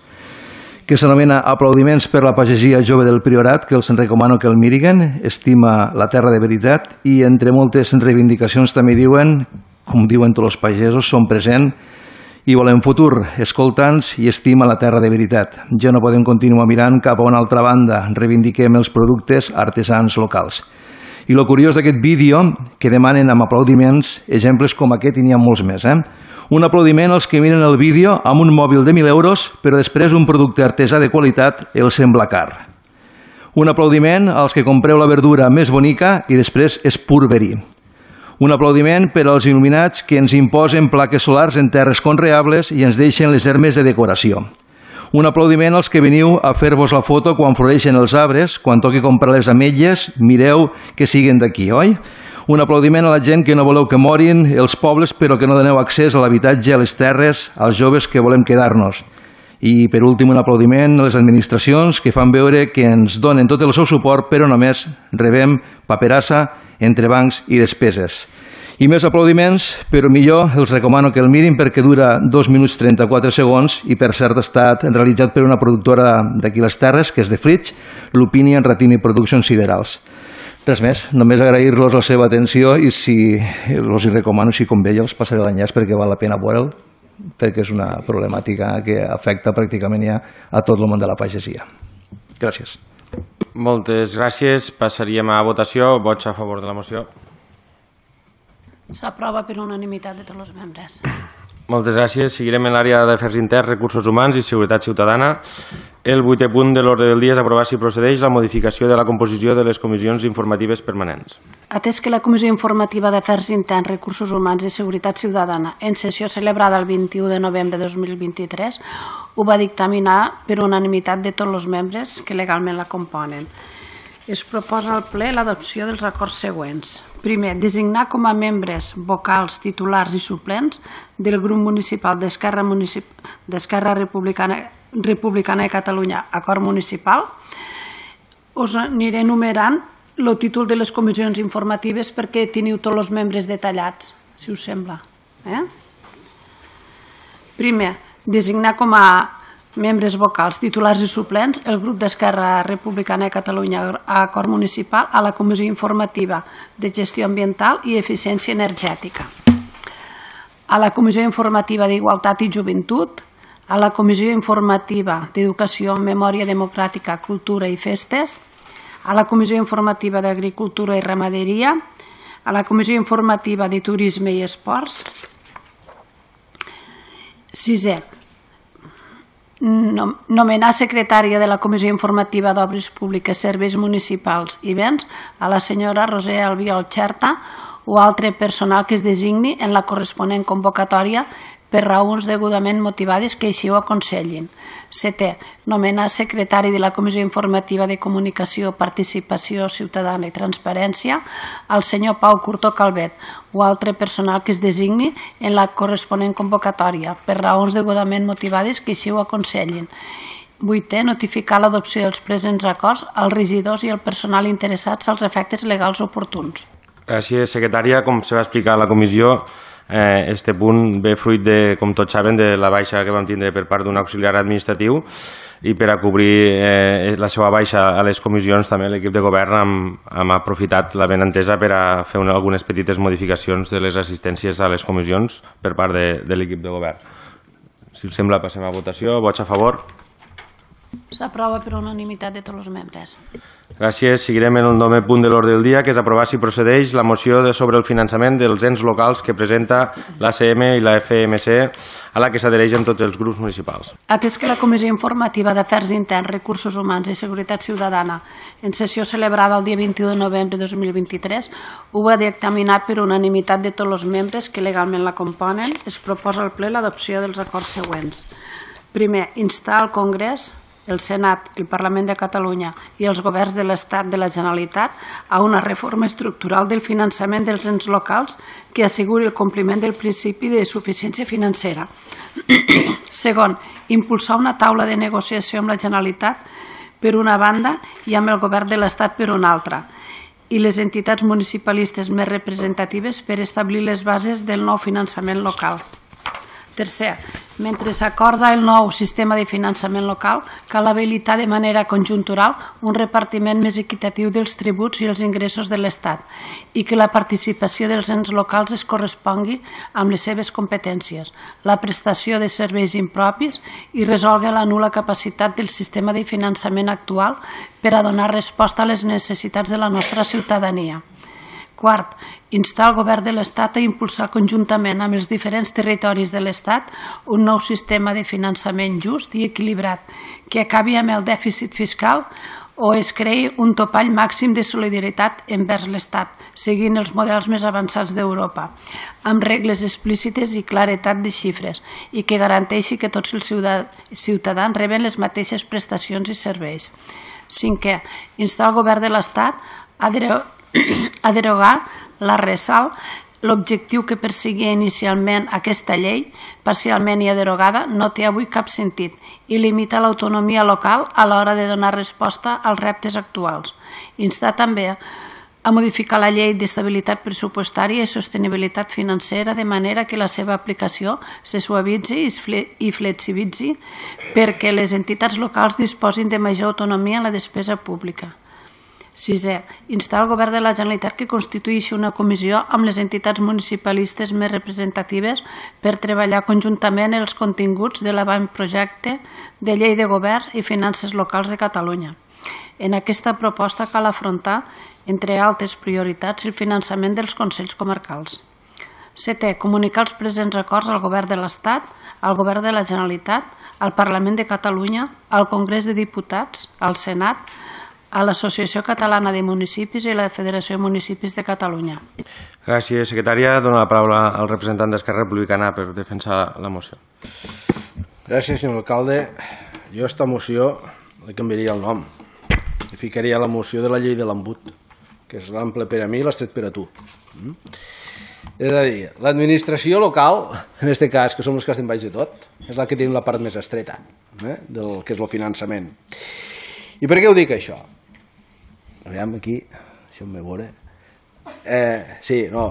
que s'anomena Aplaudiments per la pagesia jove del Priorat, que els recomano que el miriguen, estima la terra de veritat, i entre moltes reivindicacions també diuen, com diuen tots els pagesos, són present i volem futur, escoltants i estima la terra de veritat. Ja no podem continuar mirant cap a una altra banda, reivindiquem els productes artesans locals. I el curiós d'aquest vídeo, que demanen amb aplaudiments, exemples com aquest i n'hi ha molts més. Eh? Un aplaudiment als que miren el vídeo amb un mòbil de mil euros, però després un producte artesà de qualitat els sembla car. Un aplaudiment als que compreu la verdura més bonica i després és pur verí. Un aplaudiment per als il·luminats que ens imposen plaques solars en terres conreables i ens deixen les hermes de decoració. Un aplaudiment als que veniu a fer-vos la foto quan floreixen els arbres, quan toqui comprar les ametlles, mireu que siguen d'aquí, oi? Un aplaudiment a la gent que no voleu que morin els pobles però que no doneu accés a l'habitatge, a les terres, als joves que volem quedar-nos. I per últim un aplaudiment a les administracions que fan veure que ens donen tot el seu suport però només rebem paperassa, entrebancs i despeses. I més aplaudiments, però millor els recomano que el mirin perquè dura dos minuts trenta-quatre segons i per cert ha estat realitzat per una productora d'aquí les Terres, que és de Flix, l'Opinion Ratini Produccions Siderals. Res més, només agrair-los la seva atenció i si els hi recomano, si convé, ja els passaré l'enllaç perquè val la pena veure'l, perquè és una problemàtica que afecta pràcticament ja a tot el món de la pagesia. Gràcies. Moltes gràcies. Passaríem a votació. Vots a favor de la moció. S'aprova per unanimitat de tots els membres. Moltes gràcies. Seguirem en l'àrea d'Afers Interns, Recursos Humans i Seguretat Ciutadana. El vuitè punt de l'ordre del dia és aprovar si procedeix la modificació de la composició de les comissions informatives permanents. Atès que la Comissió Informativa d'Afers Interns, Recursos Humans i Seguretat Ciutadana, en sessió celebrada el vint-i-u de novembre de dos mil vint-i-tres, ho va dictaminar per unanimitat de tots els membres que legalment la componen. Es proposa al ple l'adopció dels acords següents. Primer, designar com a membres vocals, titulars i suplents del grup municipal d'Esquerra d'Esquerra Republicana, Republicana de Catalunya, acord municipal. Us aniré enumerant el títol de les comissions informatives perquè teniu tots els membres detallats, si us sembla. Eh? Primer, designar com a membres vocals, titulars i suplents, el grup d'Esquerra Republicana de Catalunya a acord municipal a la Comissió Informativa de Gestió Ambiental i Eficiència Energètica, a la Comissió Informativa d'Igualtat i Joventut, a la Comissió Informativa d'Educació, Memòria Democràtica, Cultura i Festes, a la Comissió Informativa d'Agricultura i Ramaderia, a la Comissió Informativa de Turisme i Esports. Sisè, nomenar secretària de la Comissió Informativa d'Obres Públiques, Serveis Municipals i Béns a la senyora Roser Albiol Xerta o altre personal que es designi en la corresponent convocatòria per raons degudament motivades que així ho aconsellin. Setè, nomenar secretari de la Comissió Informativa de Comunicació, Participació Ciutadana i Transparència al senyor Pau Curtó Calvet o altre personal que es designi en la corresponent convocatòria per raons degudament motivades que així ho aconsellin. Vuitè, notificar l'adopció dels presents acords als regidors i al personal interessats als efectes legals oportuns. Gràcies, secretària. Com se va explicar a la comissió, este punt ve fruit de, com tots saben, de la baixa que vam tindre per part d'un auxiliar administratiu i per a cobrir la seva baixa a les comissions també l'equip de govern hem aprofitat la benentesa per a fer algunes petites modificacions de les assistències a les comissions per part de l'equip de govern. Si us sembla, passem a votació. Vots a favor? S'aprova per unanimitat de tots els membres. Gràcies. Seguirem en el novè punt de l'ordre del dia, que és aprovar si procedeix la moció sobre el finançament dels ens locals que presenta l'A C M i la F M C, a la que s'adhereixen tots els grups municipals. Atès que la Comissió Informativa d'Afers Interns, Recursos Humans i Seguretat Ciutadana, en sessió celebrada el dia vint-i-u de novembre de dos mil vint-i-tres, ho va dictaminar per unanimitat de tots els membres que legalment la componen, es proposa al ple l'adopció dels acords següents. Primer, instar al Congrés, el Senat, el Parlament de Catalunya i els governs de l'Estat de la Generalitat a una reforma estructural del finançament dels ens locals que asseguri el compliment del principi de suficiència financera. Segon, impulsar una taula de negociació amb la Generalitat per una banda i amb el govern de l'Estat per una altra i les entitats municipalistes més representatives per establir les bases del nou finançament local. Tercer, mentre s'acorda el nou sistema de finançament local, cal habilitar de manera conjuntural un repartiment més equitatiu dels tributs i els ingressos de l'Estat i que la participació dels ens locals es correspongui amb les seves competències, la prestació de serveis impropis i resolgui la nul·la capacitat del sistema de finançament actual per a donar resposta a les necessitats de la nostra ciutadania. Quart, instar el govern de l'Estat a impulsar conjuntament amb els diferents territoris de l'Estat un nou sistema de finançament just i equilibrat que acabi amb el dèficit fiscal o es creï un topall màxim de solidaritat envers l'Estat, seguint els models més avançats d'Europa, amb regles explícites i claretat de xifres i que garanteixi que tots els ciutadans reben les mateixes prestacions i serveis. Cinquè, instar el govern de l'Estat a a derogar la resal, l'objectiu que perseguia inicialment aquesta llei, parcialment i derogada, no té avui cap sentit i limita l'autonomia local a l'hora de donar resposta als reptes actuals. Instar també a modificar la llei d'estabilitat pressupostària i sostenibilitat financera de manera que la seva aplicació se suavitzi i flexibilitzi perquè les entitats locals disposin de major autonomia en la despesa pública. Sisè, instar el govern de la Generalitat que constitueixi una comissió amb les entitats municipalistes més representatives per treballar conjuntament els continguts de l'avantprojecte de llei de governs i finances locals de Catalunya. En aquesta proposta cal afrontar, entre altres prioritats, el finançament dels consells comarcals. Setè, comunicar els presents acords al govern de l'Estat, al govern de la Generalitat, al Parlament de Catalunya, al Congrés de Diputats, al Senat, a l'Associació Catalana de Municipis i a la Federació de Municipis de Catalunya. Gràcies, secretària. Dono la paraula al representant d'Esquerra Republicana per defensar la moció. Gràcies, senyor alcalde. Jo a esta moció li canviaria el nom. Li ficaria la moció de la llei de l'embut, que és l'ample per a mi i l'estret per a tu. És a dir, l'administració local, en aquest cas, que som els que estem baix de tot, és la que tenim la part més estreta del que és el finançament. I per què ho dic, això? Aviam, aquí, si em ve veure. Eh, sí, no,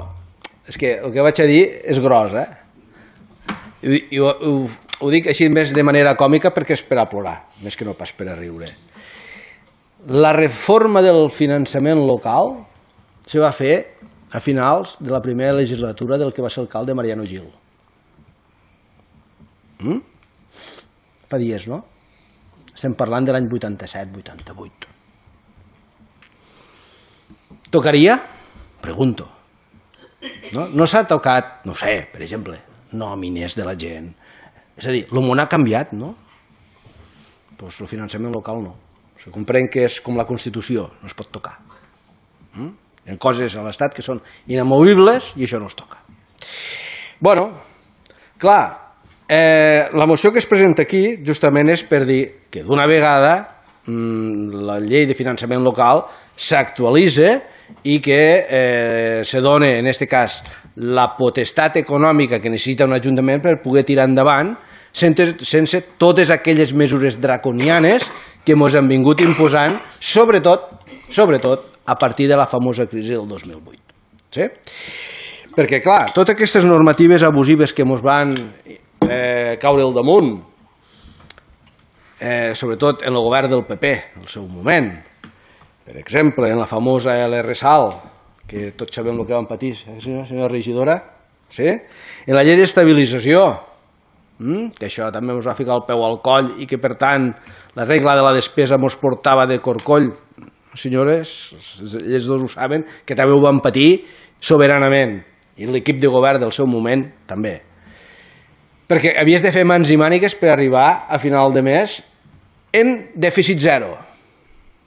és que el que vaig a dir és gros, eh? I, i ho, ho, ho dic així més de manera còmica perquè és per a plorar, més que no pas per a riure. La reforma del finançament local se va fer a finals de la primera legislatura del que va ser alcalde Mariano Gil. Mm? Fa dies, no? Estem parlant de l'any vuitanta-set vuitanta-vuit. Tocaria? Pregunto. No, no s'ha tocat, no sé, per exemple, nòmines de la gent. És a dir, el món ha canviat, no? Doncs el finançament local no. Se comprèn que és com la Constitució, no es pot tocar. Mm? Hi ha coses a l'Estat que són inamovibles i això no es toca. Bueno, clar, La moció que es presenta aquí justament és per dir que d'una vegada la llei de finançament local s'actualitza i que se dona, en aquest cas, la potestat econòmica que necessita un ajuntament per poder tirar endavant sense totes aquelles mesures draconianes que ens han vingut imposant, sobretot sobretot a partir de la famosa crisi del dos mil vuit. Sí? Perquè, clar, totes aquestes normatives abusives que ens van caure al damunt, sobretot en el govern del P P, en el seu moment, per exemple, en la famosa L R SAL, que tots sabem el que van patir, senyora regidora, en la llei d'estabilització, que això també ens va ficar el peu al coll i que, per tant, la regla de la despesa ens portava de corcoll. Senyores, ells dos ho saben, que també ho van patir soberanament, i l'equip de govern del seu moment també. Perquè havies de fer mans i mànigues per arribar a final de mes en dèficit zero.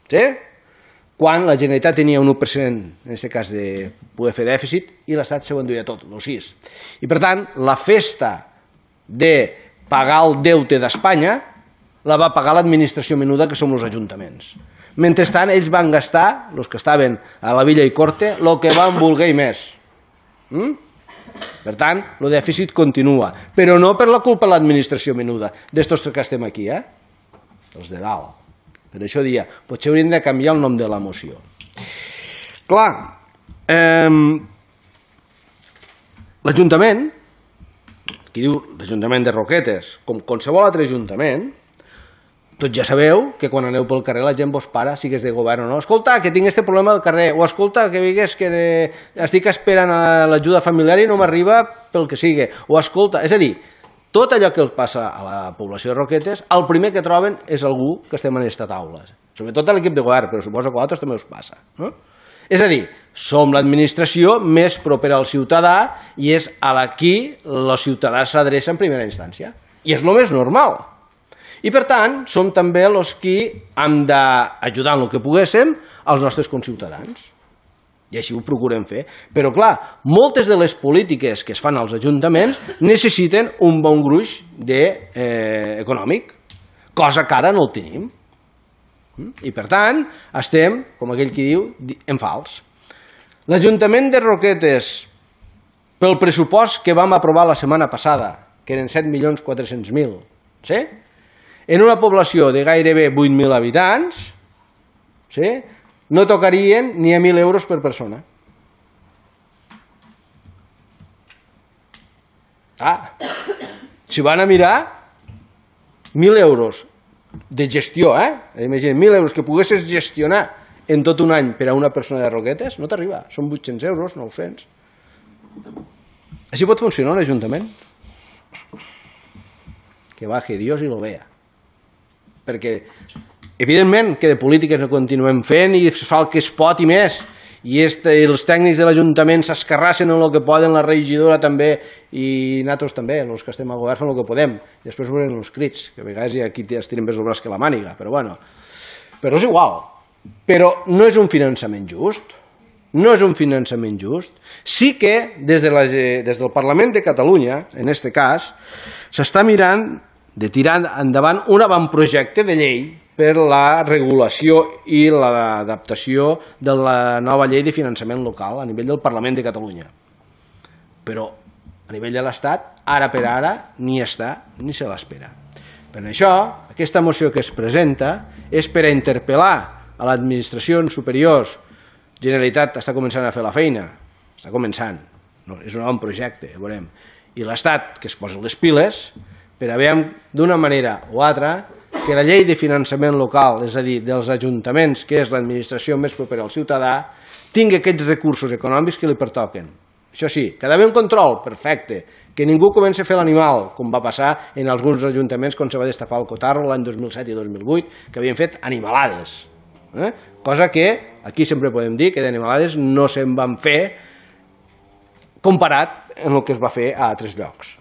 Sí? Quan la Generalitat tenia un u per cent, en aquest cas, de poder fer dèficit, i l'Estat se ho enduia tot, el sis. I per tant, la festa de pagar el deute d'Espanya la va pagar l'administració menuda, que som els ajuntaments. Mentrestant, ells van gastar, els que estaven a la Villa i Corte, el que van voler i més. Per tant, el dèficit continua, però no per la culpa de l'administració menuda, d'estos que estem aquí, eh? Els de dalt. Per això dia, potser hauríem de canviar el nom de la moció. Clar, l'Ajuntament, qui diu l'Ajuntament de Roquetes, com qualsevol altre ajuntament, tots ja sabeu que quan aneu pel carrer la gent vos para, sigues de govern o no. Escolta, que tinc este problema al carrer, o escolta, que digues que estic esperant l'ajuda familiar i no m'arriba pel que sigui, o escolta, és a dir, tot allò que els passa a la població de Roquetes, el primer que troben és algú que estem en aquesta taula, sobretot a l'equip de govern, però suposo que a altres també us passa. És a dir, som l'administració més propera al ciutadà i és a la qui el ciutadà s'adreça en primera instància. I és el més normal. I, per tant, som també els qui hem d'ajudar en el que poguéssim als nostres conciutadans. I així ho procurem fer. Però, clar, moltes de les polítiques que es fan als ajuntaments necessiten un bon gruix econòmic, cosa que ara no el tenim. I, per tant, estem, com aquell qui diu, en fals. L'Ajuntament de Roquetes, pel pressupost que vam aprovar la setmana passada, que eren set milions quatre-cents mil, sí? En una població de gairebé vuit mil habitants, sí? No tocarien ni a mil euros per persona. Ah, si van a mirar, mil euros de gestió, eh? Imagina't, mil euros que poguessis gestionar en tot un any per a una persona de Roquetes, no t'arriba, són vuit-cents euros, nou-cents. Així pot funcionar un ajuntament? Que baje Dios y lo vea. Perquè, evidentment, que de polítiques no continuem fent i es fa el que es pot i més, i els tècnics de l'Ajuntament s'escarrassen en el que poden, la regidora també, i nosaltres també, els que estem al govern fem el que podem, i després veurem els crits, que a vegades hi ha qui es tiren més el braç que la màniga, però bueno, però és igual. Però no és un finançament just, no és un finançament just. Sí que des del Parlament de Catalunya, en aquest cas, s'està mirant de tirar endavant un avantprojecte de llei per la regulació i l'adaptació de la nova llei de finançament local a nivell del Parlament de Catalunya. Però a nivell de l'Estat, ara per ara, ni està ni se l'espera. Per això, aquesta moció que es presenta és per a interpel·lar a l'administracions superiors. Generalitat està començant a fer la feina, està començant, és un avantprojecte, veurem. I l'Estat, que es posa les piles, per a veure d'una manera o altra que la llei de finançament local, és a dir, dels ajuntaments, que és l'administració més propera al ciutadà, tingui aquests recursos econòmics que li pertoquen. Això sí, que ha d'haver un control, perfecte, que ningú comenci a fer l'animal, com va passar en alguns ajuntaments quan se va destapar el cotarro l'any dos mil set i dos mil vuit, que havien fet animalades. Cosa que aquí sempre podem dir que d'animalades no se'n van fer comparat amb el que es va fer a altres llocs.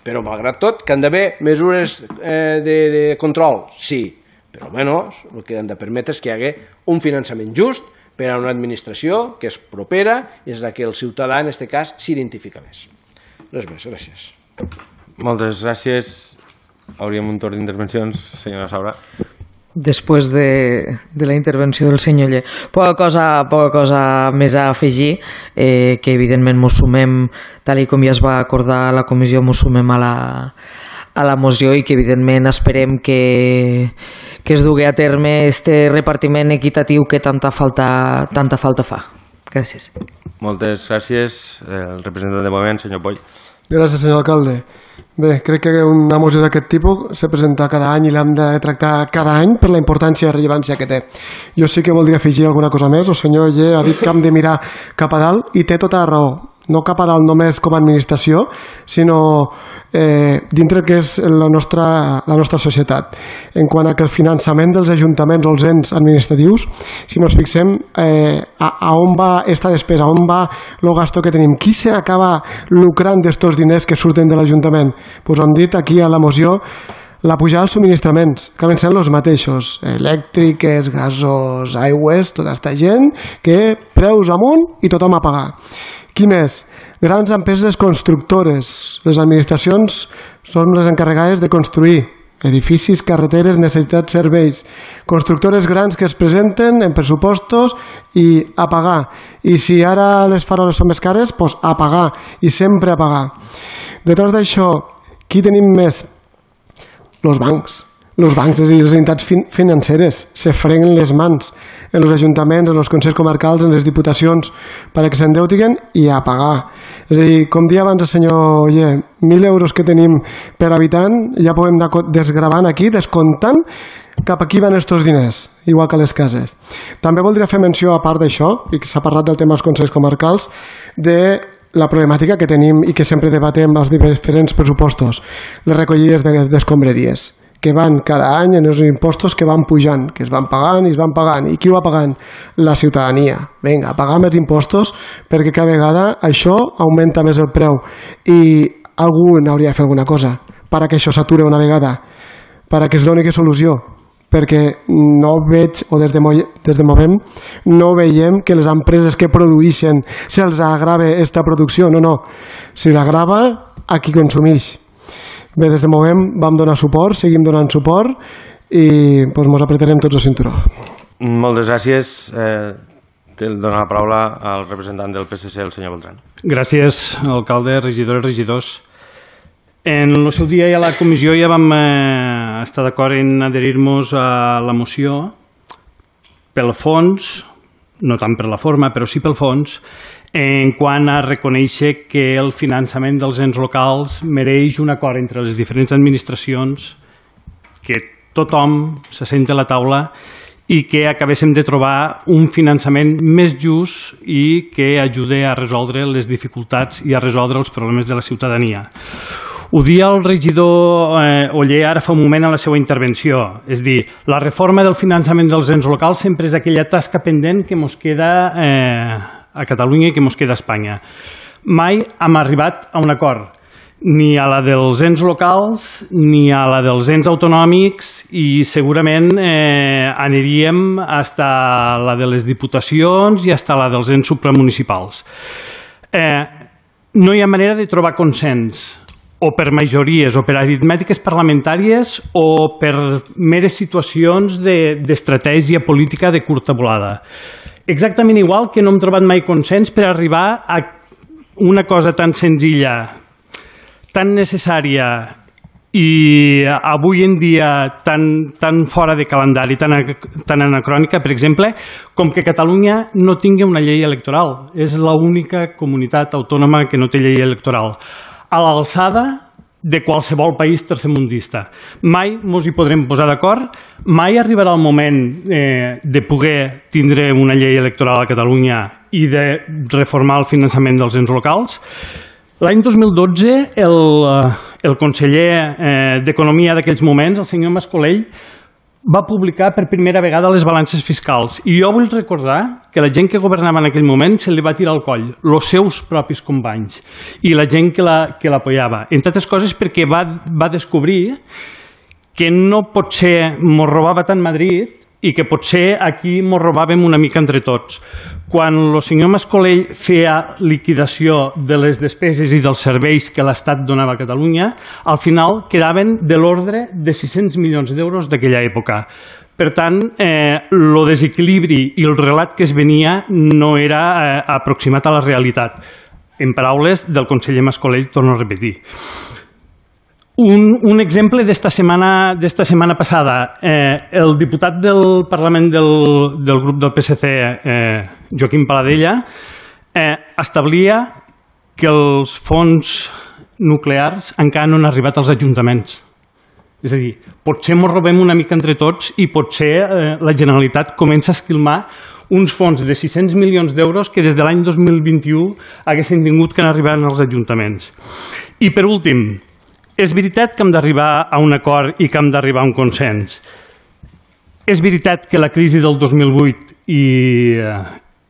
Però, malgrat tot, que han d'haver mesures de control, sí, però almenys el que han de permetre és que hi hagi un finançament just per a una administració que és propera i és la que el ciutadà, en aquest cas, s'identifica més. Res més, gràcies. Moltes gràcies. Hauríem un torn d'intervencions, senyora Saura. Després de, de la intervenció del senyor Ller. Poca cosa, poca cosa més a afegir, eh, que evidentment mos sumem, tal i com ja es va acordar a la comissió, mos sumem a la, a la moció i que evidentment esperem que, que es dugui a terme este repartiment equitatiu que tanta falta, tanta falta fa. Gràcies. Moltes gràcies. El representant de moment, senyor Poll. Gràcies, senyor alcalde. Bé, crec que una moció d'aquest tipus se presenta cada any i l'hem de tractar cada any per la importància i rellevància que té. Jo sí que voldria afegir alguna cosa més. El senyor Ller ha dit que hem de mirar cap a dalt i té tota la raó. No cap a dalt només com a administració, sinó eh, dintre que és la nostra, la nostra societat. En quant a que el finançament dels ajuntaments o els ens administratius, si ens fixem eh, a, a on va esta despesa, a on va el gasto que tenim, qui se acaba lucrant d'estos diners que surten de l'Ajuntament? Pues han dit aquí a la moció la pujada dels subministraments, que acaben sent els mateixos, elèctriques, gasos, aigües, tota aquesta gent que preus amunt i tothom a pagar. Qui més? Grans empreses constructores. Les administracions són les encarregades de construir edificis, carreteres, necessitats, serveis. Constructores grans que es presenten en pressupostos i a pagar. I si ara les faroles són més cares, doncs a pagar. I sempre a pagar. Detrás d'això, qui tenim més? Los bancs. Los bancs, és a dir, les entitats fin financeres, se freguen les mans en els ajuntaments, en els consells comarcals, en les diputacions, perquè s'endeutiguen i a pagar. És a dir, com dia abans el senyor Ller, mil euros que tenim per habitant, ja podem anar desgravant aquí, descomptant cap a qui van estos diners, igual que a les cases. També voldria fer menció, a part d'això, i que s'ha parlat del tema dels consells comarcals, de la problemàtica que tenim i que sempre debatem als diferents pressupostos, les recollides d'escombraries, que van cada any en els impostos que van pujant, que es van pagant i es van pagant. I qui ho va pagant? La ciutadania. Vinga, a pagar més impostos perquè cada vegada això augmenta més el preu. I algú n'hauria de fer alguna cosa perquè això s'ature una vegada, perquè es doni que solució. Perquè no veig, o des de, des de moment, no veiem que les empreses que produeixen se'ls agrave esta producció. No, no. Si l'agrava a qui consumeix. Bé, des de moment vam donar suport, seguim donant suport i doncs mos apretarem tots el cinturó. Moltes gràcies. Eh, dono la paraula al representant del P S C, el senyor Beltrán. Gràcies, alcalde, regidores, regidors. En el seu dia i a la comissió ja vam eh, estar d'acord en adherir-nos a la moció pel fons, no tant per la forma, però sí pel fons, en quant a reconèixer que el finançament dels ens locals mereix un acord entre les diferents administracions, que tothom se senti a la taula i que acabéssim de trobar un finançament més just i que ajude a resoldre les dificultats i a resoldre els problemes de la ciutadania. Ho dia el regidor eh, Oller ara fa un moment a la seva intervenció. És dir, la reforma del finançament dels ens locals sempre és aquella tasca pendent que ens queda eh, a Catalunya i que ens queda a Espanya. Mai hem arribat a un acord, ni a la dels ens locals ni a la dels ens autonòmics i segurament eh, aniríem fins a la de les diputacions i fins a la dels ens supramunicipals. Eh, no hi ha manera de trobar consens, o per majories, o per aritmètiques parlamentàries, o per meres situacions d'estratègia política de curta volada. Exactament igual que no hem trobat mai consens per arribar a una cosa tan senzilla, tan necessària i avui en dia tan, tan fora de calendari, tan, tan anacrònica, per exemple, com que Catalunya no tingui una llei electoral. És l'única comunitat autònoma que no té llei electoral, a l'alçada de qualsevol país tercermundista. Mai ens hi podrem posar d'acord, mai arribarà el moment eh, de poder tindre una llei electoral a Catalunya i de reformar el finançament dels ens locals. L'any dos mil dotze, el, el conseller eh, d'Economia d'aquells moments, el senyor Mascolell, va publicar per primera vegada les balances fiscals. I jo vull recordar que la gent que governava en aquell moment se li va tirar al coll, els seus propis companys, i la gent que l'apoyava. Entre altres coses perquè va, va descobrir que no potser mos robava tant Madrid i que potser aquí mos robàvem una mica entre tots. quan el senyor Mascolell feia liquidació de les despeses i dels serveis que l'Estat donava a Catalunya, al final quedaven de l'ordre de sis-cents milions d'euros d'aquella època. Per tant, el desequilibri i el relat que es venia no era aproximat a la realitat. En paraules del conseller Mascolell, torno a repetir. Un, un exemple d'esta setmana, d'esta setmana passada. Eh, el diputat del Parlament del, del grup del P S C, eh, Joaquim Paladella, eh, establia que els fons nuclears encara no han arribat als ajuntaments. És a dir, potser ens robem una mica entre tots i potser eh, la Generalitat comença a esquilmar uns fons de sis-cents milions d'euros que des de l'any dos mil vint-i-u haguessin tingut que arribar als ajuntaments. I per últim, és veritat que hem d'arribar a un acord i que hem d'arribar a un consens. És veritat que la crisi del dos mil vuit i,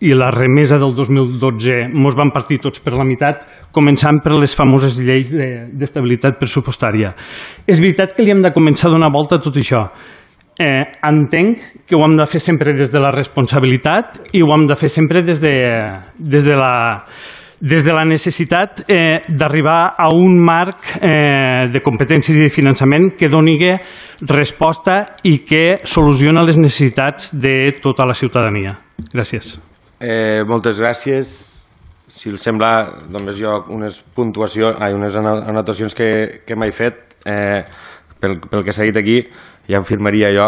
i la remesa del dos mil dotze ens van partir tots per la meitat, començant per les famoses lleis d'estabilitat pressupostària. És veritat que li hem de començar a donar volta a tot això. Eh, entenc que ho hem de fer sempre des de la responsabilitat i ho hem de fer sempre des de, des de la... des de la necessitat eh, d'arribar a un marc eh, de competències i de finançament que doni resposta i que soluciona les necessitats de tota la ciutadania. Gràcies. Eh, moltes gràcies. Si els sembla, només jo unes puntuacions, ai, unes anotacions que, que m'he fet. Eh, pel, pel que s'ha dit aquí, ja afirmaria jo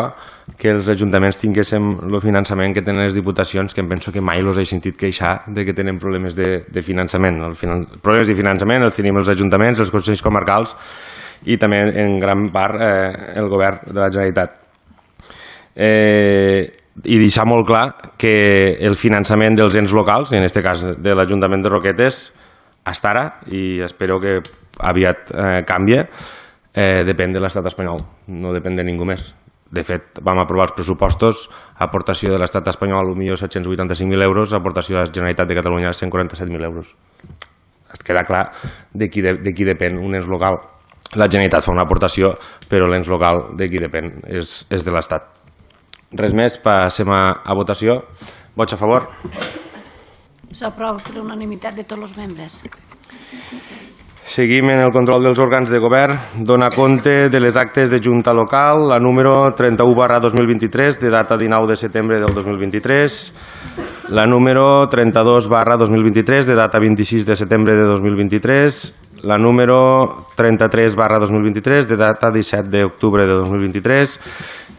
que els ajuntaments tinguéssim el finançament que tenen les diputacions, que em penso que mai els he sentit queixar de que tenen problemes de, de finançament. El finan... problemes de finançament els tenim els ajuntaments, els consells comarcals i també en gran part eh, el govern de la Generalitat. Eh, I deixar molt clar que el finançament dels ens locals, en aquest cas de l'Ajuntament de Roquetes, hasta ara, i espero que aviat eh, canvie, eh, depèn de l'estat espanyol, no depèn de ningú més. De fet, vam aprovar els pressupostos, aportació de l'estat espanyol potser set-cents vuitanta-cinc mil euros, aportació de la Generalitat de Catalunya cent quaranta-set mil euros. Es queda clar de qui, de, de qui depèn un ens local. La Generalitat fa una aportació, però l'ens local de qui depèn és, és de l'Estat. Res més, passem a, a votació. Vots a favor? S'aprova per unanimitat de tots els membres. Seguim en el control dels òrgans de govern. Dona compte de les actes de Junta Local, la número trenta-u barra dos mil vint-i-tres, de data dinou de setembre del dos mil vint-i-tres, la número trenta-dos barra dos mil vint-i-tres, de data vint-i-sis de setembre de dos mil vint-i-tres, la número trenta-tres barra dos mil vint-i-tres, de data disset d'octubre de dos mil vint-i-tres,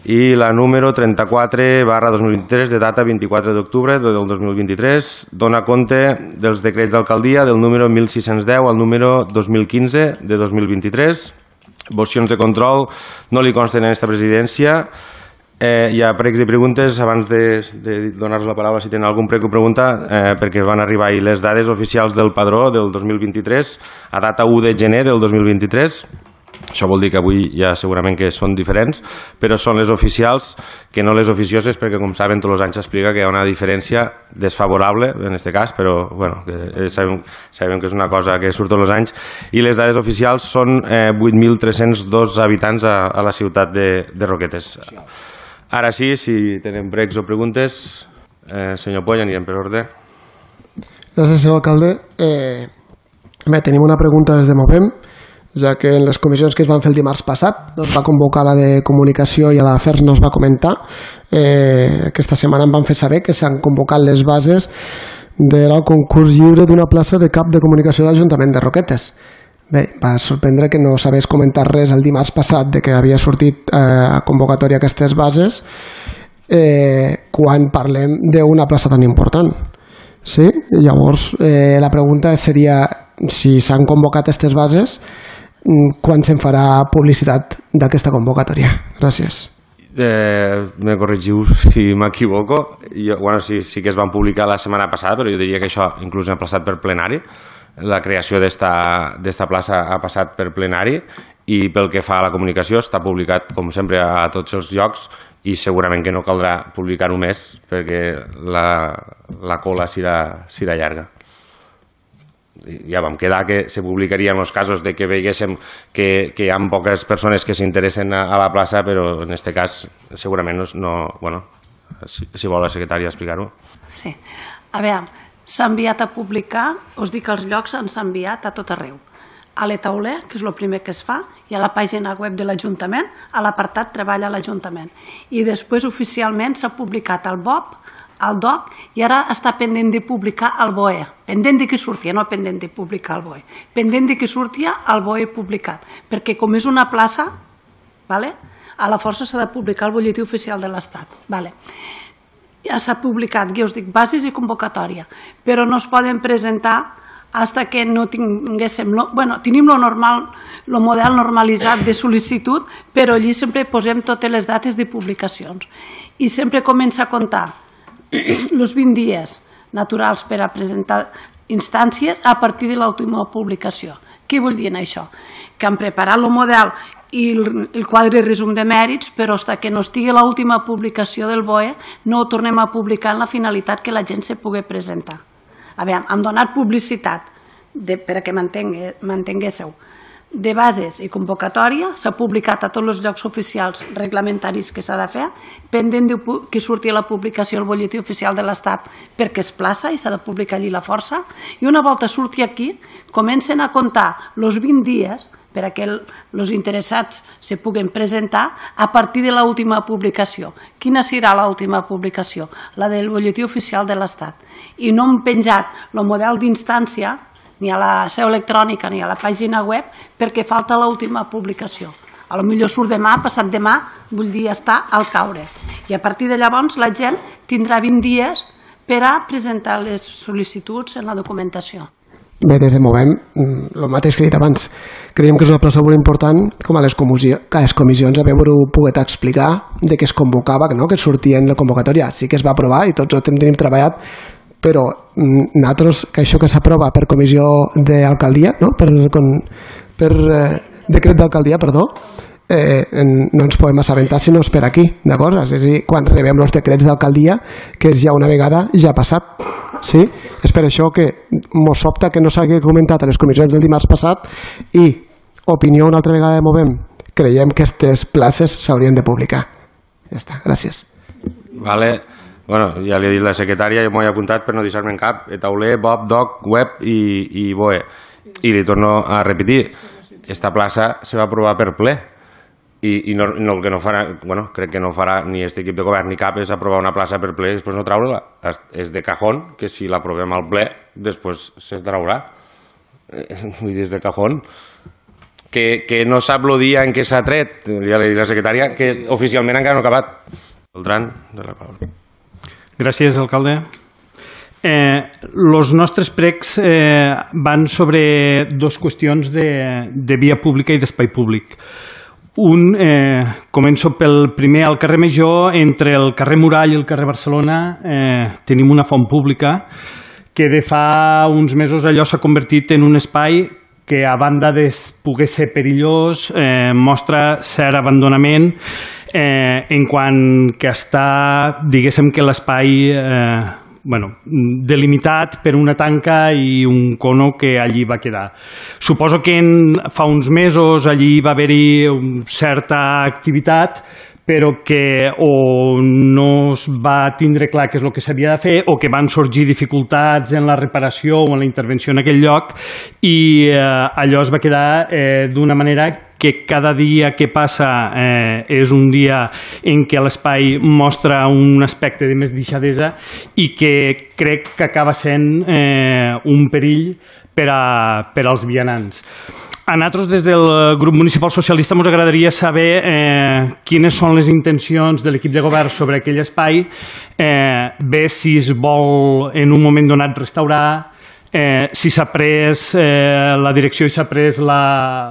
i la número trenta-quatre barra dos mil vint-i-tres, de data vint-i-quatre d'octubre del dos mil vint-i-tres. Dona compte dels decrets d'alcaldia del número mil sis-cents deu al número dos mil quinze de dos mil vint-i-tres. Mocions de control no li consten en aquesta presidència. Eh, hi ha pregs i preguntes. Abans de, de donar-vos la paraula, si tenen algun prec o pregunta, eh, perquè van arribar ahir les dades oficials del padró del dos mil vint-i-tres a data u de gener del dos mil vint-i-tres. Això vol dir que avui ja segurament que són diferents, però són les oficials que no les oficioses, perquè com saben tots els anys s'explica que hi ha una diferència desfavorable en aquest cas, però bueno, que sabem, sabem que és una cosa que surt tots els anys, i les dades oficials són eh, vuit mil tres-cents dos habitants a, a la ciutat de, de Roquetes. Ara sí, si tenen pregs o preguntes, eh, senyor Poll, anirem per ordre. Gràcies, senyor alcalde. Eh, bé, tenim una pregunta des de Movem, ja que en les comissions que es van fer el dimarts passat no es va convocar la de comunicació i a l'afers no es va comentar. Eh, aquesta setmana em van fer saber que s'han convocat les bases del concurs lliure d'una plaça de cap de comunicació de l'Ajuntament de Roquetes. Bé, va sorprendre que no s'hagués comentat res el dimarts passat de que havia sortit eh, a convocatòria aquestes bases eh, quan parlem d'una plaça tan important. Sí? Llavors, eh, la pregunta seria si s'han convocat aquestes bases, quan se'n farà publicitat d'aquesta convocatòria. Gràcies. Eh, me corregiu si m'equivoco. Bueno, sí, sí que es van publicar la setmana passada, però jo diria que això inclús ha passat per plenari. La creació d'esta plaça ha passat per plenari i pel que fa a la comunicació està publicat, com sempre, a tots els llocs i segurament que no caldrà publicar-ho més perquè la, la cola serà, serà llarga. Ja vam quedar que se publicaria en els casos de que veiéssim que, que hi ha poques persones que s'interessen a, a la plaça, però en aquest cas segurament no... Bueno, si, si vol la secretària explicar-ho. Sí. A veure, s'ha enviat a publicar, us dic els llocs s'han enviat a tot arreu. A l'Etauler, que és el primer que es fa, i a la pàgina web de l'Ajuntament, a l'apartat Treball a l'Ajuntament. I després oficialment s'ha publicat al B O P, al D O C, i ara està pendent de publicar al B O E. Pendent de que surti, no pendent de publicar al B O E. Pendent de que surti al B O E publicat. Perquè com és una plaça, a la força s'ha de publicar al butlletí oficial de l'Estat. Ja s'ha publicat, ja us dic, bases i convocatòria, però no es poden presentar hasta que no tinguéssim... Bueno, tenim el model normalitzat de sol·licitud, però allí sempre posem totes les dates de publicacions. I sempre comença a comptar els vint dies naturals per a presentar instàncies a partir de l'última publicació. Què vol dir això? Que han preparat el model i el quadre resum de mèrits, però fins que no estigui l'última publicació del B O E no ho tornem a publicar en la finalitat que la gent se pugui presentar. A veure, hem donat publicitat, perquè m'entenguéssiu, de bases i convocatòria, s'ha publicat a tots els llocs oficials reglamentaris que s'ha de fer, pendent que surti la publicació al butlletí oficial de l'Estat perquè es plaça i s'ha de publicar allí la força, i una volta surti aquí, comencen a comptar els vint dies perquè els interessats se puguen presentar a partir de l'última publicació. Quina serà l'última publicació? La del butlletí oficial de l'Estat. I no hem penjat el model d'instància ni a la seu electrònica ni a la pàgina web perquè falta l'última publicació. A lo millor surt demà, passat demà, vull dir, està al caure. I a partir de llavors la gent tindrà vint dies per a presentar les sol·licituds en la documentació. Bé, des de Movem, el mateix que he dit abans, creiem que és una plaça molt important com a les comissions haver-ho pogut explicar de què es convocava, que sortia en la convocatòria. Sí que es va aprovar i tots ho tenim treballat, però nosaltres, que això que s'aprova per comissió d'alcaldia, per decret d'alcaldia, perdó, no ens podem assabentar si no és per aquí, d'acord? És a dir, quan rebem els decrets d'alcaldia, que és ja una vegada ja passat. Sí? És per això que mos sobta que no s'hagi comentat a les comissions del dimarts passat i, opinió una altra vegada de Movem, creiem que aquestes places s'haurien de publicar. Ja està, gràcies. Vale. Bueno, ja li he dit la secretària, jo m'ho he apuntat per no deixar-me en cap, Etauler, B O P, D O C, Web i, i B O E. I li torno a repetir, esta plaça se va aprovar per ple. I, i no, no, el que no farà, bueno, crec que no farà ni aquest equip de govern ni cap és aprovar una plaça per ple i després no traure-la. És de cajón que si l'aprovem al ple després se traurà. Vull dir, és de cajón. Que, que no sap el dia en què s'ha tret, ja li dic la secretària, que oficialment encara no ha acabat. Beltrán, de la paraula. Gràcies, alcalde. Els eh, nostres pregs eh, van sobre dues qüestions de, de via pública i d'espai públic. Un, eh, començo pel primer, al carrer Major, entre el carrer Murall i el carrer Barcelona, eh, tenim una font pública que de fa uns mesos allò s'ha convertit en un espai que, a banda de poder ser perillós, eh, mostra cert abandonament eh, en quant que està, diguéssim que l'espai eh, bueno, delimitat per una tanca i un cono que allí va quedar. Suposo que en, fa uns mesos allí va haver-hi una certa activitat, però que o no es va tindre clar què és el que s'havia de fer o que van sorgir dificultats en la reparació o en la intervenció en aquell lloc i eh, allò es va quedar eh, d'una manera que cada dia que passa eh, és un dia en què l'espai mostra un aspecte de més deixadesa i que crec que acaba sent eh, un perill per, a, per als vianants. A nosaltres, des del grup municipal socialista, ens agradaria saber eh, quines són les intencions de l'equip de govern sobre aquell espai, eh, bé si es vol en un moment donat restaurar, eh, si s'ha pres eh, la direcció i s'ha pres la,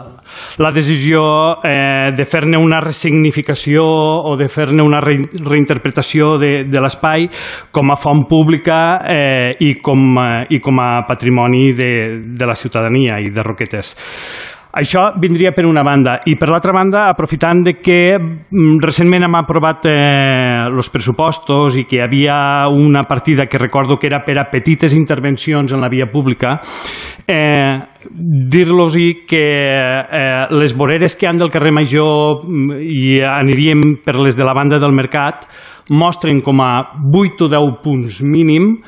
la decisió eh, de fer-ne una ressignificació o de fer-ne una re, reinterpretació de, de l'espai com a font pública eh, i, com, eh, i com a patrimoni de, de la ciutadania i de Roquetes. Això vindria per una banda. I per l'altra banda, aprofitant de que recentment hem aprovat els eh, pressupostos i que hi havia una partida que recordo que era per a petites intervencions en la via pública, eh, dir-los que eh, les voreres que han del carrer Major i aniríem per les de la banda del Mercat mostren com a vuit o deu punts mínim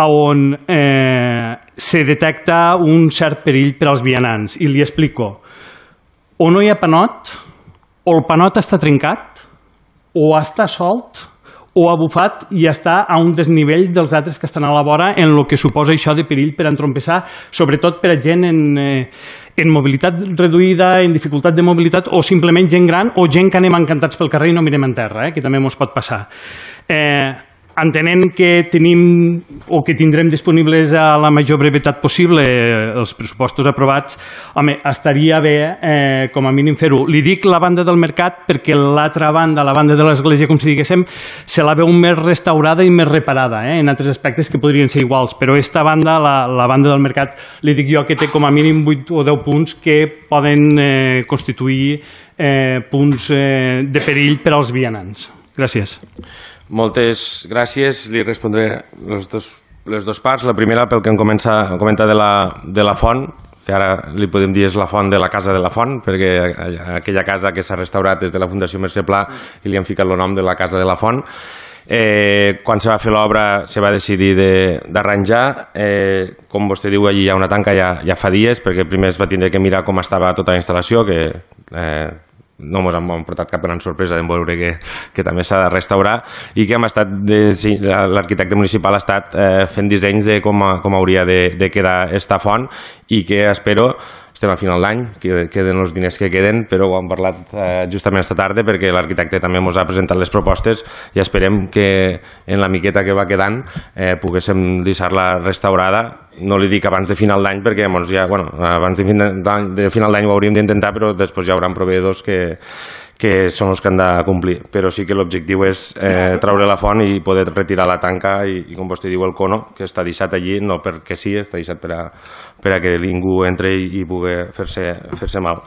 on eh, se detecta un cert perill per als vianants. I li explico. O no hi ha panot, o el panot està trencat, o està solt, o ha bufat i està a un desnivell dels altres que estan a la vora en el que suposa això de perill per entrompessar, sobretot per a gent en, eh, en mobilitat reduïda, en dificultat de mobilitat, o simplement gent gran o gent que anem encantats pel carrer i no mirem en terra, eh, que també ens pot passar. Eh, entenent que tenim o que tindrem disponibles a la major brevetat possible els pressupostos aprovats, home, estaria bé eh, com a mínim fer-ho. Li dic la banda del mercat perquè l'altra banda, la banda de l'església, com si diguéssim, se la veu més restaurada i més reparada, eh, en altres aspectes que podrien ser iguals, però esta banda, la, la banda del mercat, li dic jo que té com a mínim vuit o deu punts que poden eh, constituir eh, punts eh, de perill per als vianants. Gràcies. Moltes gràcies. Li respondré les dos, les dues parts. La primera pel que em comença, comenta de la, de la font, que ara li podem dir és la font de la Casa de la Font, perquè aquella casa que s'ha restaurat des de la Fundació Mercè Pla i li han ficat el nom de la Casa de la Font. Eh, quan se va fer l'obra se va decidir d'arranjar, eh, com vostè diu, allí hi ha una tanca ja, ja fa dies, perquè primer es va tindre que mirar com estava tota la instal·lació, que eh, no ens han portat cap gran sorpresa de veure que, que també s'ha de restaurar, i que hem estat de, sí, l'arquitecte municipal ha estat eh, fent dissenys de com, com hauria de, de quedar esta font, i que espero, estem a final d'any, que queden els diners que queden, però ho hem parlat eh, justament esta tarda perquè l'arquitecte també ens ha presentat les propostes i esperem que en la miqueta que va quedant eh, poguéssim deixar-la restaurada. No li dic abans de final d'any perquè doncs, ja, bueno, abans de final d'any, de final d'any ho hauríem d'intentar, però després hi haurà proveïdors que, que són els que han de complir. Però sí que l'objectiu és eh, treure la font i poder retirar la tanca i, i com vostè diu, el cono, que està deixat allí, no perquè sí, està deixat per a, per a que ningú entre i, i pugui fer-se fer-se mal.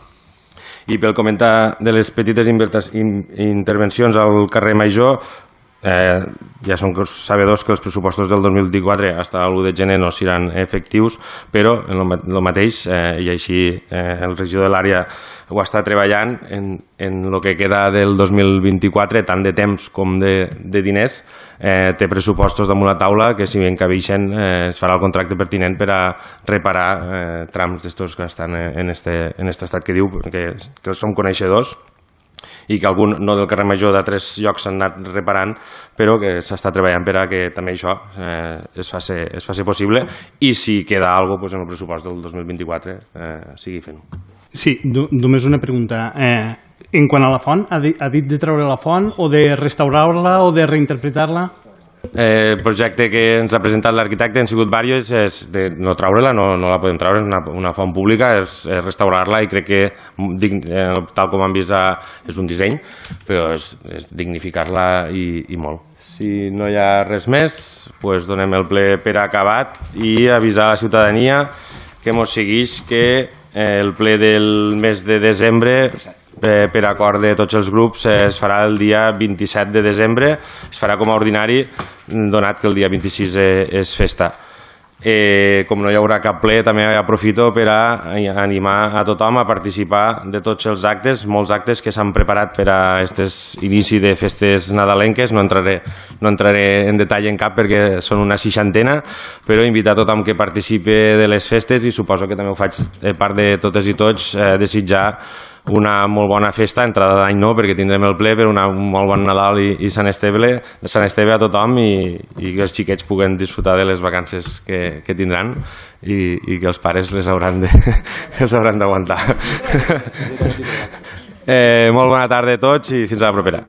I pel comentar de les petites intervencions al carrer Major, Eh, ja són sabedors que els pressupostos del dos mil vint-i-quatre fins a l'u de gener no seran efectius, però en el mateix, eh, i així eh, el regidor de l'àrea ho està treballant en, en el que queda del dos mil vint-i-quatre, tant de temps com de, de diners, eh, té pressupostos damunt la taula que si ben cabeixen eh, es farà el contracte pertinent per a reparar eh, trams d'estos que estan en este, en este estat que diu, que, que som coneixedors, i que algun, no del carrer Major, d'altres llocs s'han anat reparant, però que s'està treballant per a que també això eh, es, faci, es faci possible, i si queda alguna cosa pues, en el pressupost del dos mil vint-i-quatre eh, sigui fent-ho. Sí, només una pregunta. Eh, en quant a la font, ha dit, ha dit de treure la font o de restaurar-la o de reinterpretar-la? Eh, el projecte que ens ha presentat l'arquitecte han sigut diversos, és de no treure-la, no, no la podem treure, és una, una font pública, és, és restaurar-la, i crec que eh, tal com han vist a, és un disseny, però és, és dignificar-la i, i molt. Si no hi ha res més, pues donem el ple per acabat i avisar a la ciutadania que mos segueix que eh, el ple del mes de desembre, Eh, per acord de tots els grups, eh, es farà el dia vint-i-set de desembre, es farà com a ordinari, donat que el dia vint-i-sis eh, és festa. Eh, com no hi haurà cap ple, també aprofito per a animar a tothom a participar de tots els actes, molts actes que s'han preparat per a aquest inici de festes nadalenques. No entraré, no entraré en detall en cap perquè són una seixantena, però invitar a tothom que participe de les festes, i suposo que també ho faig de part de totes i tots, eh, desitjar una molt bona festa, entrada d'any no, perquè tindrem el ple, però una, un molt bon Nadal i, i Sant Esteve, Sant Esteve a tothom, i, i que els xiquets puguen disfrutar de les vacances que, que tindran, i, i que els pares les hauran de, els hauran d'aguantar. eh, molt bona tarda a tots i fins a la propera.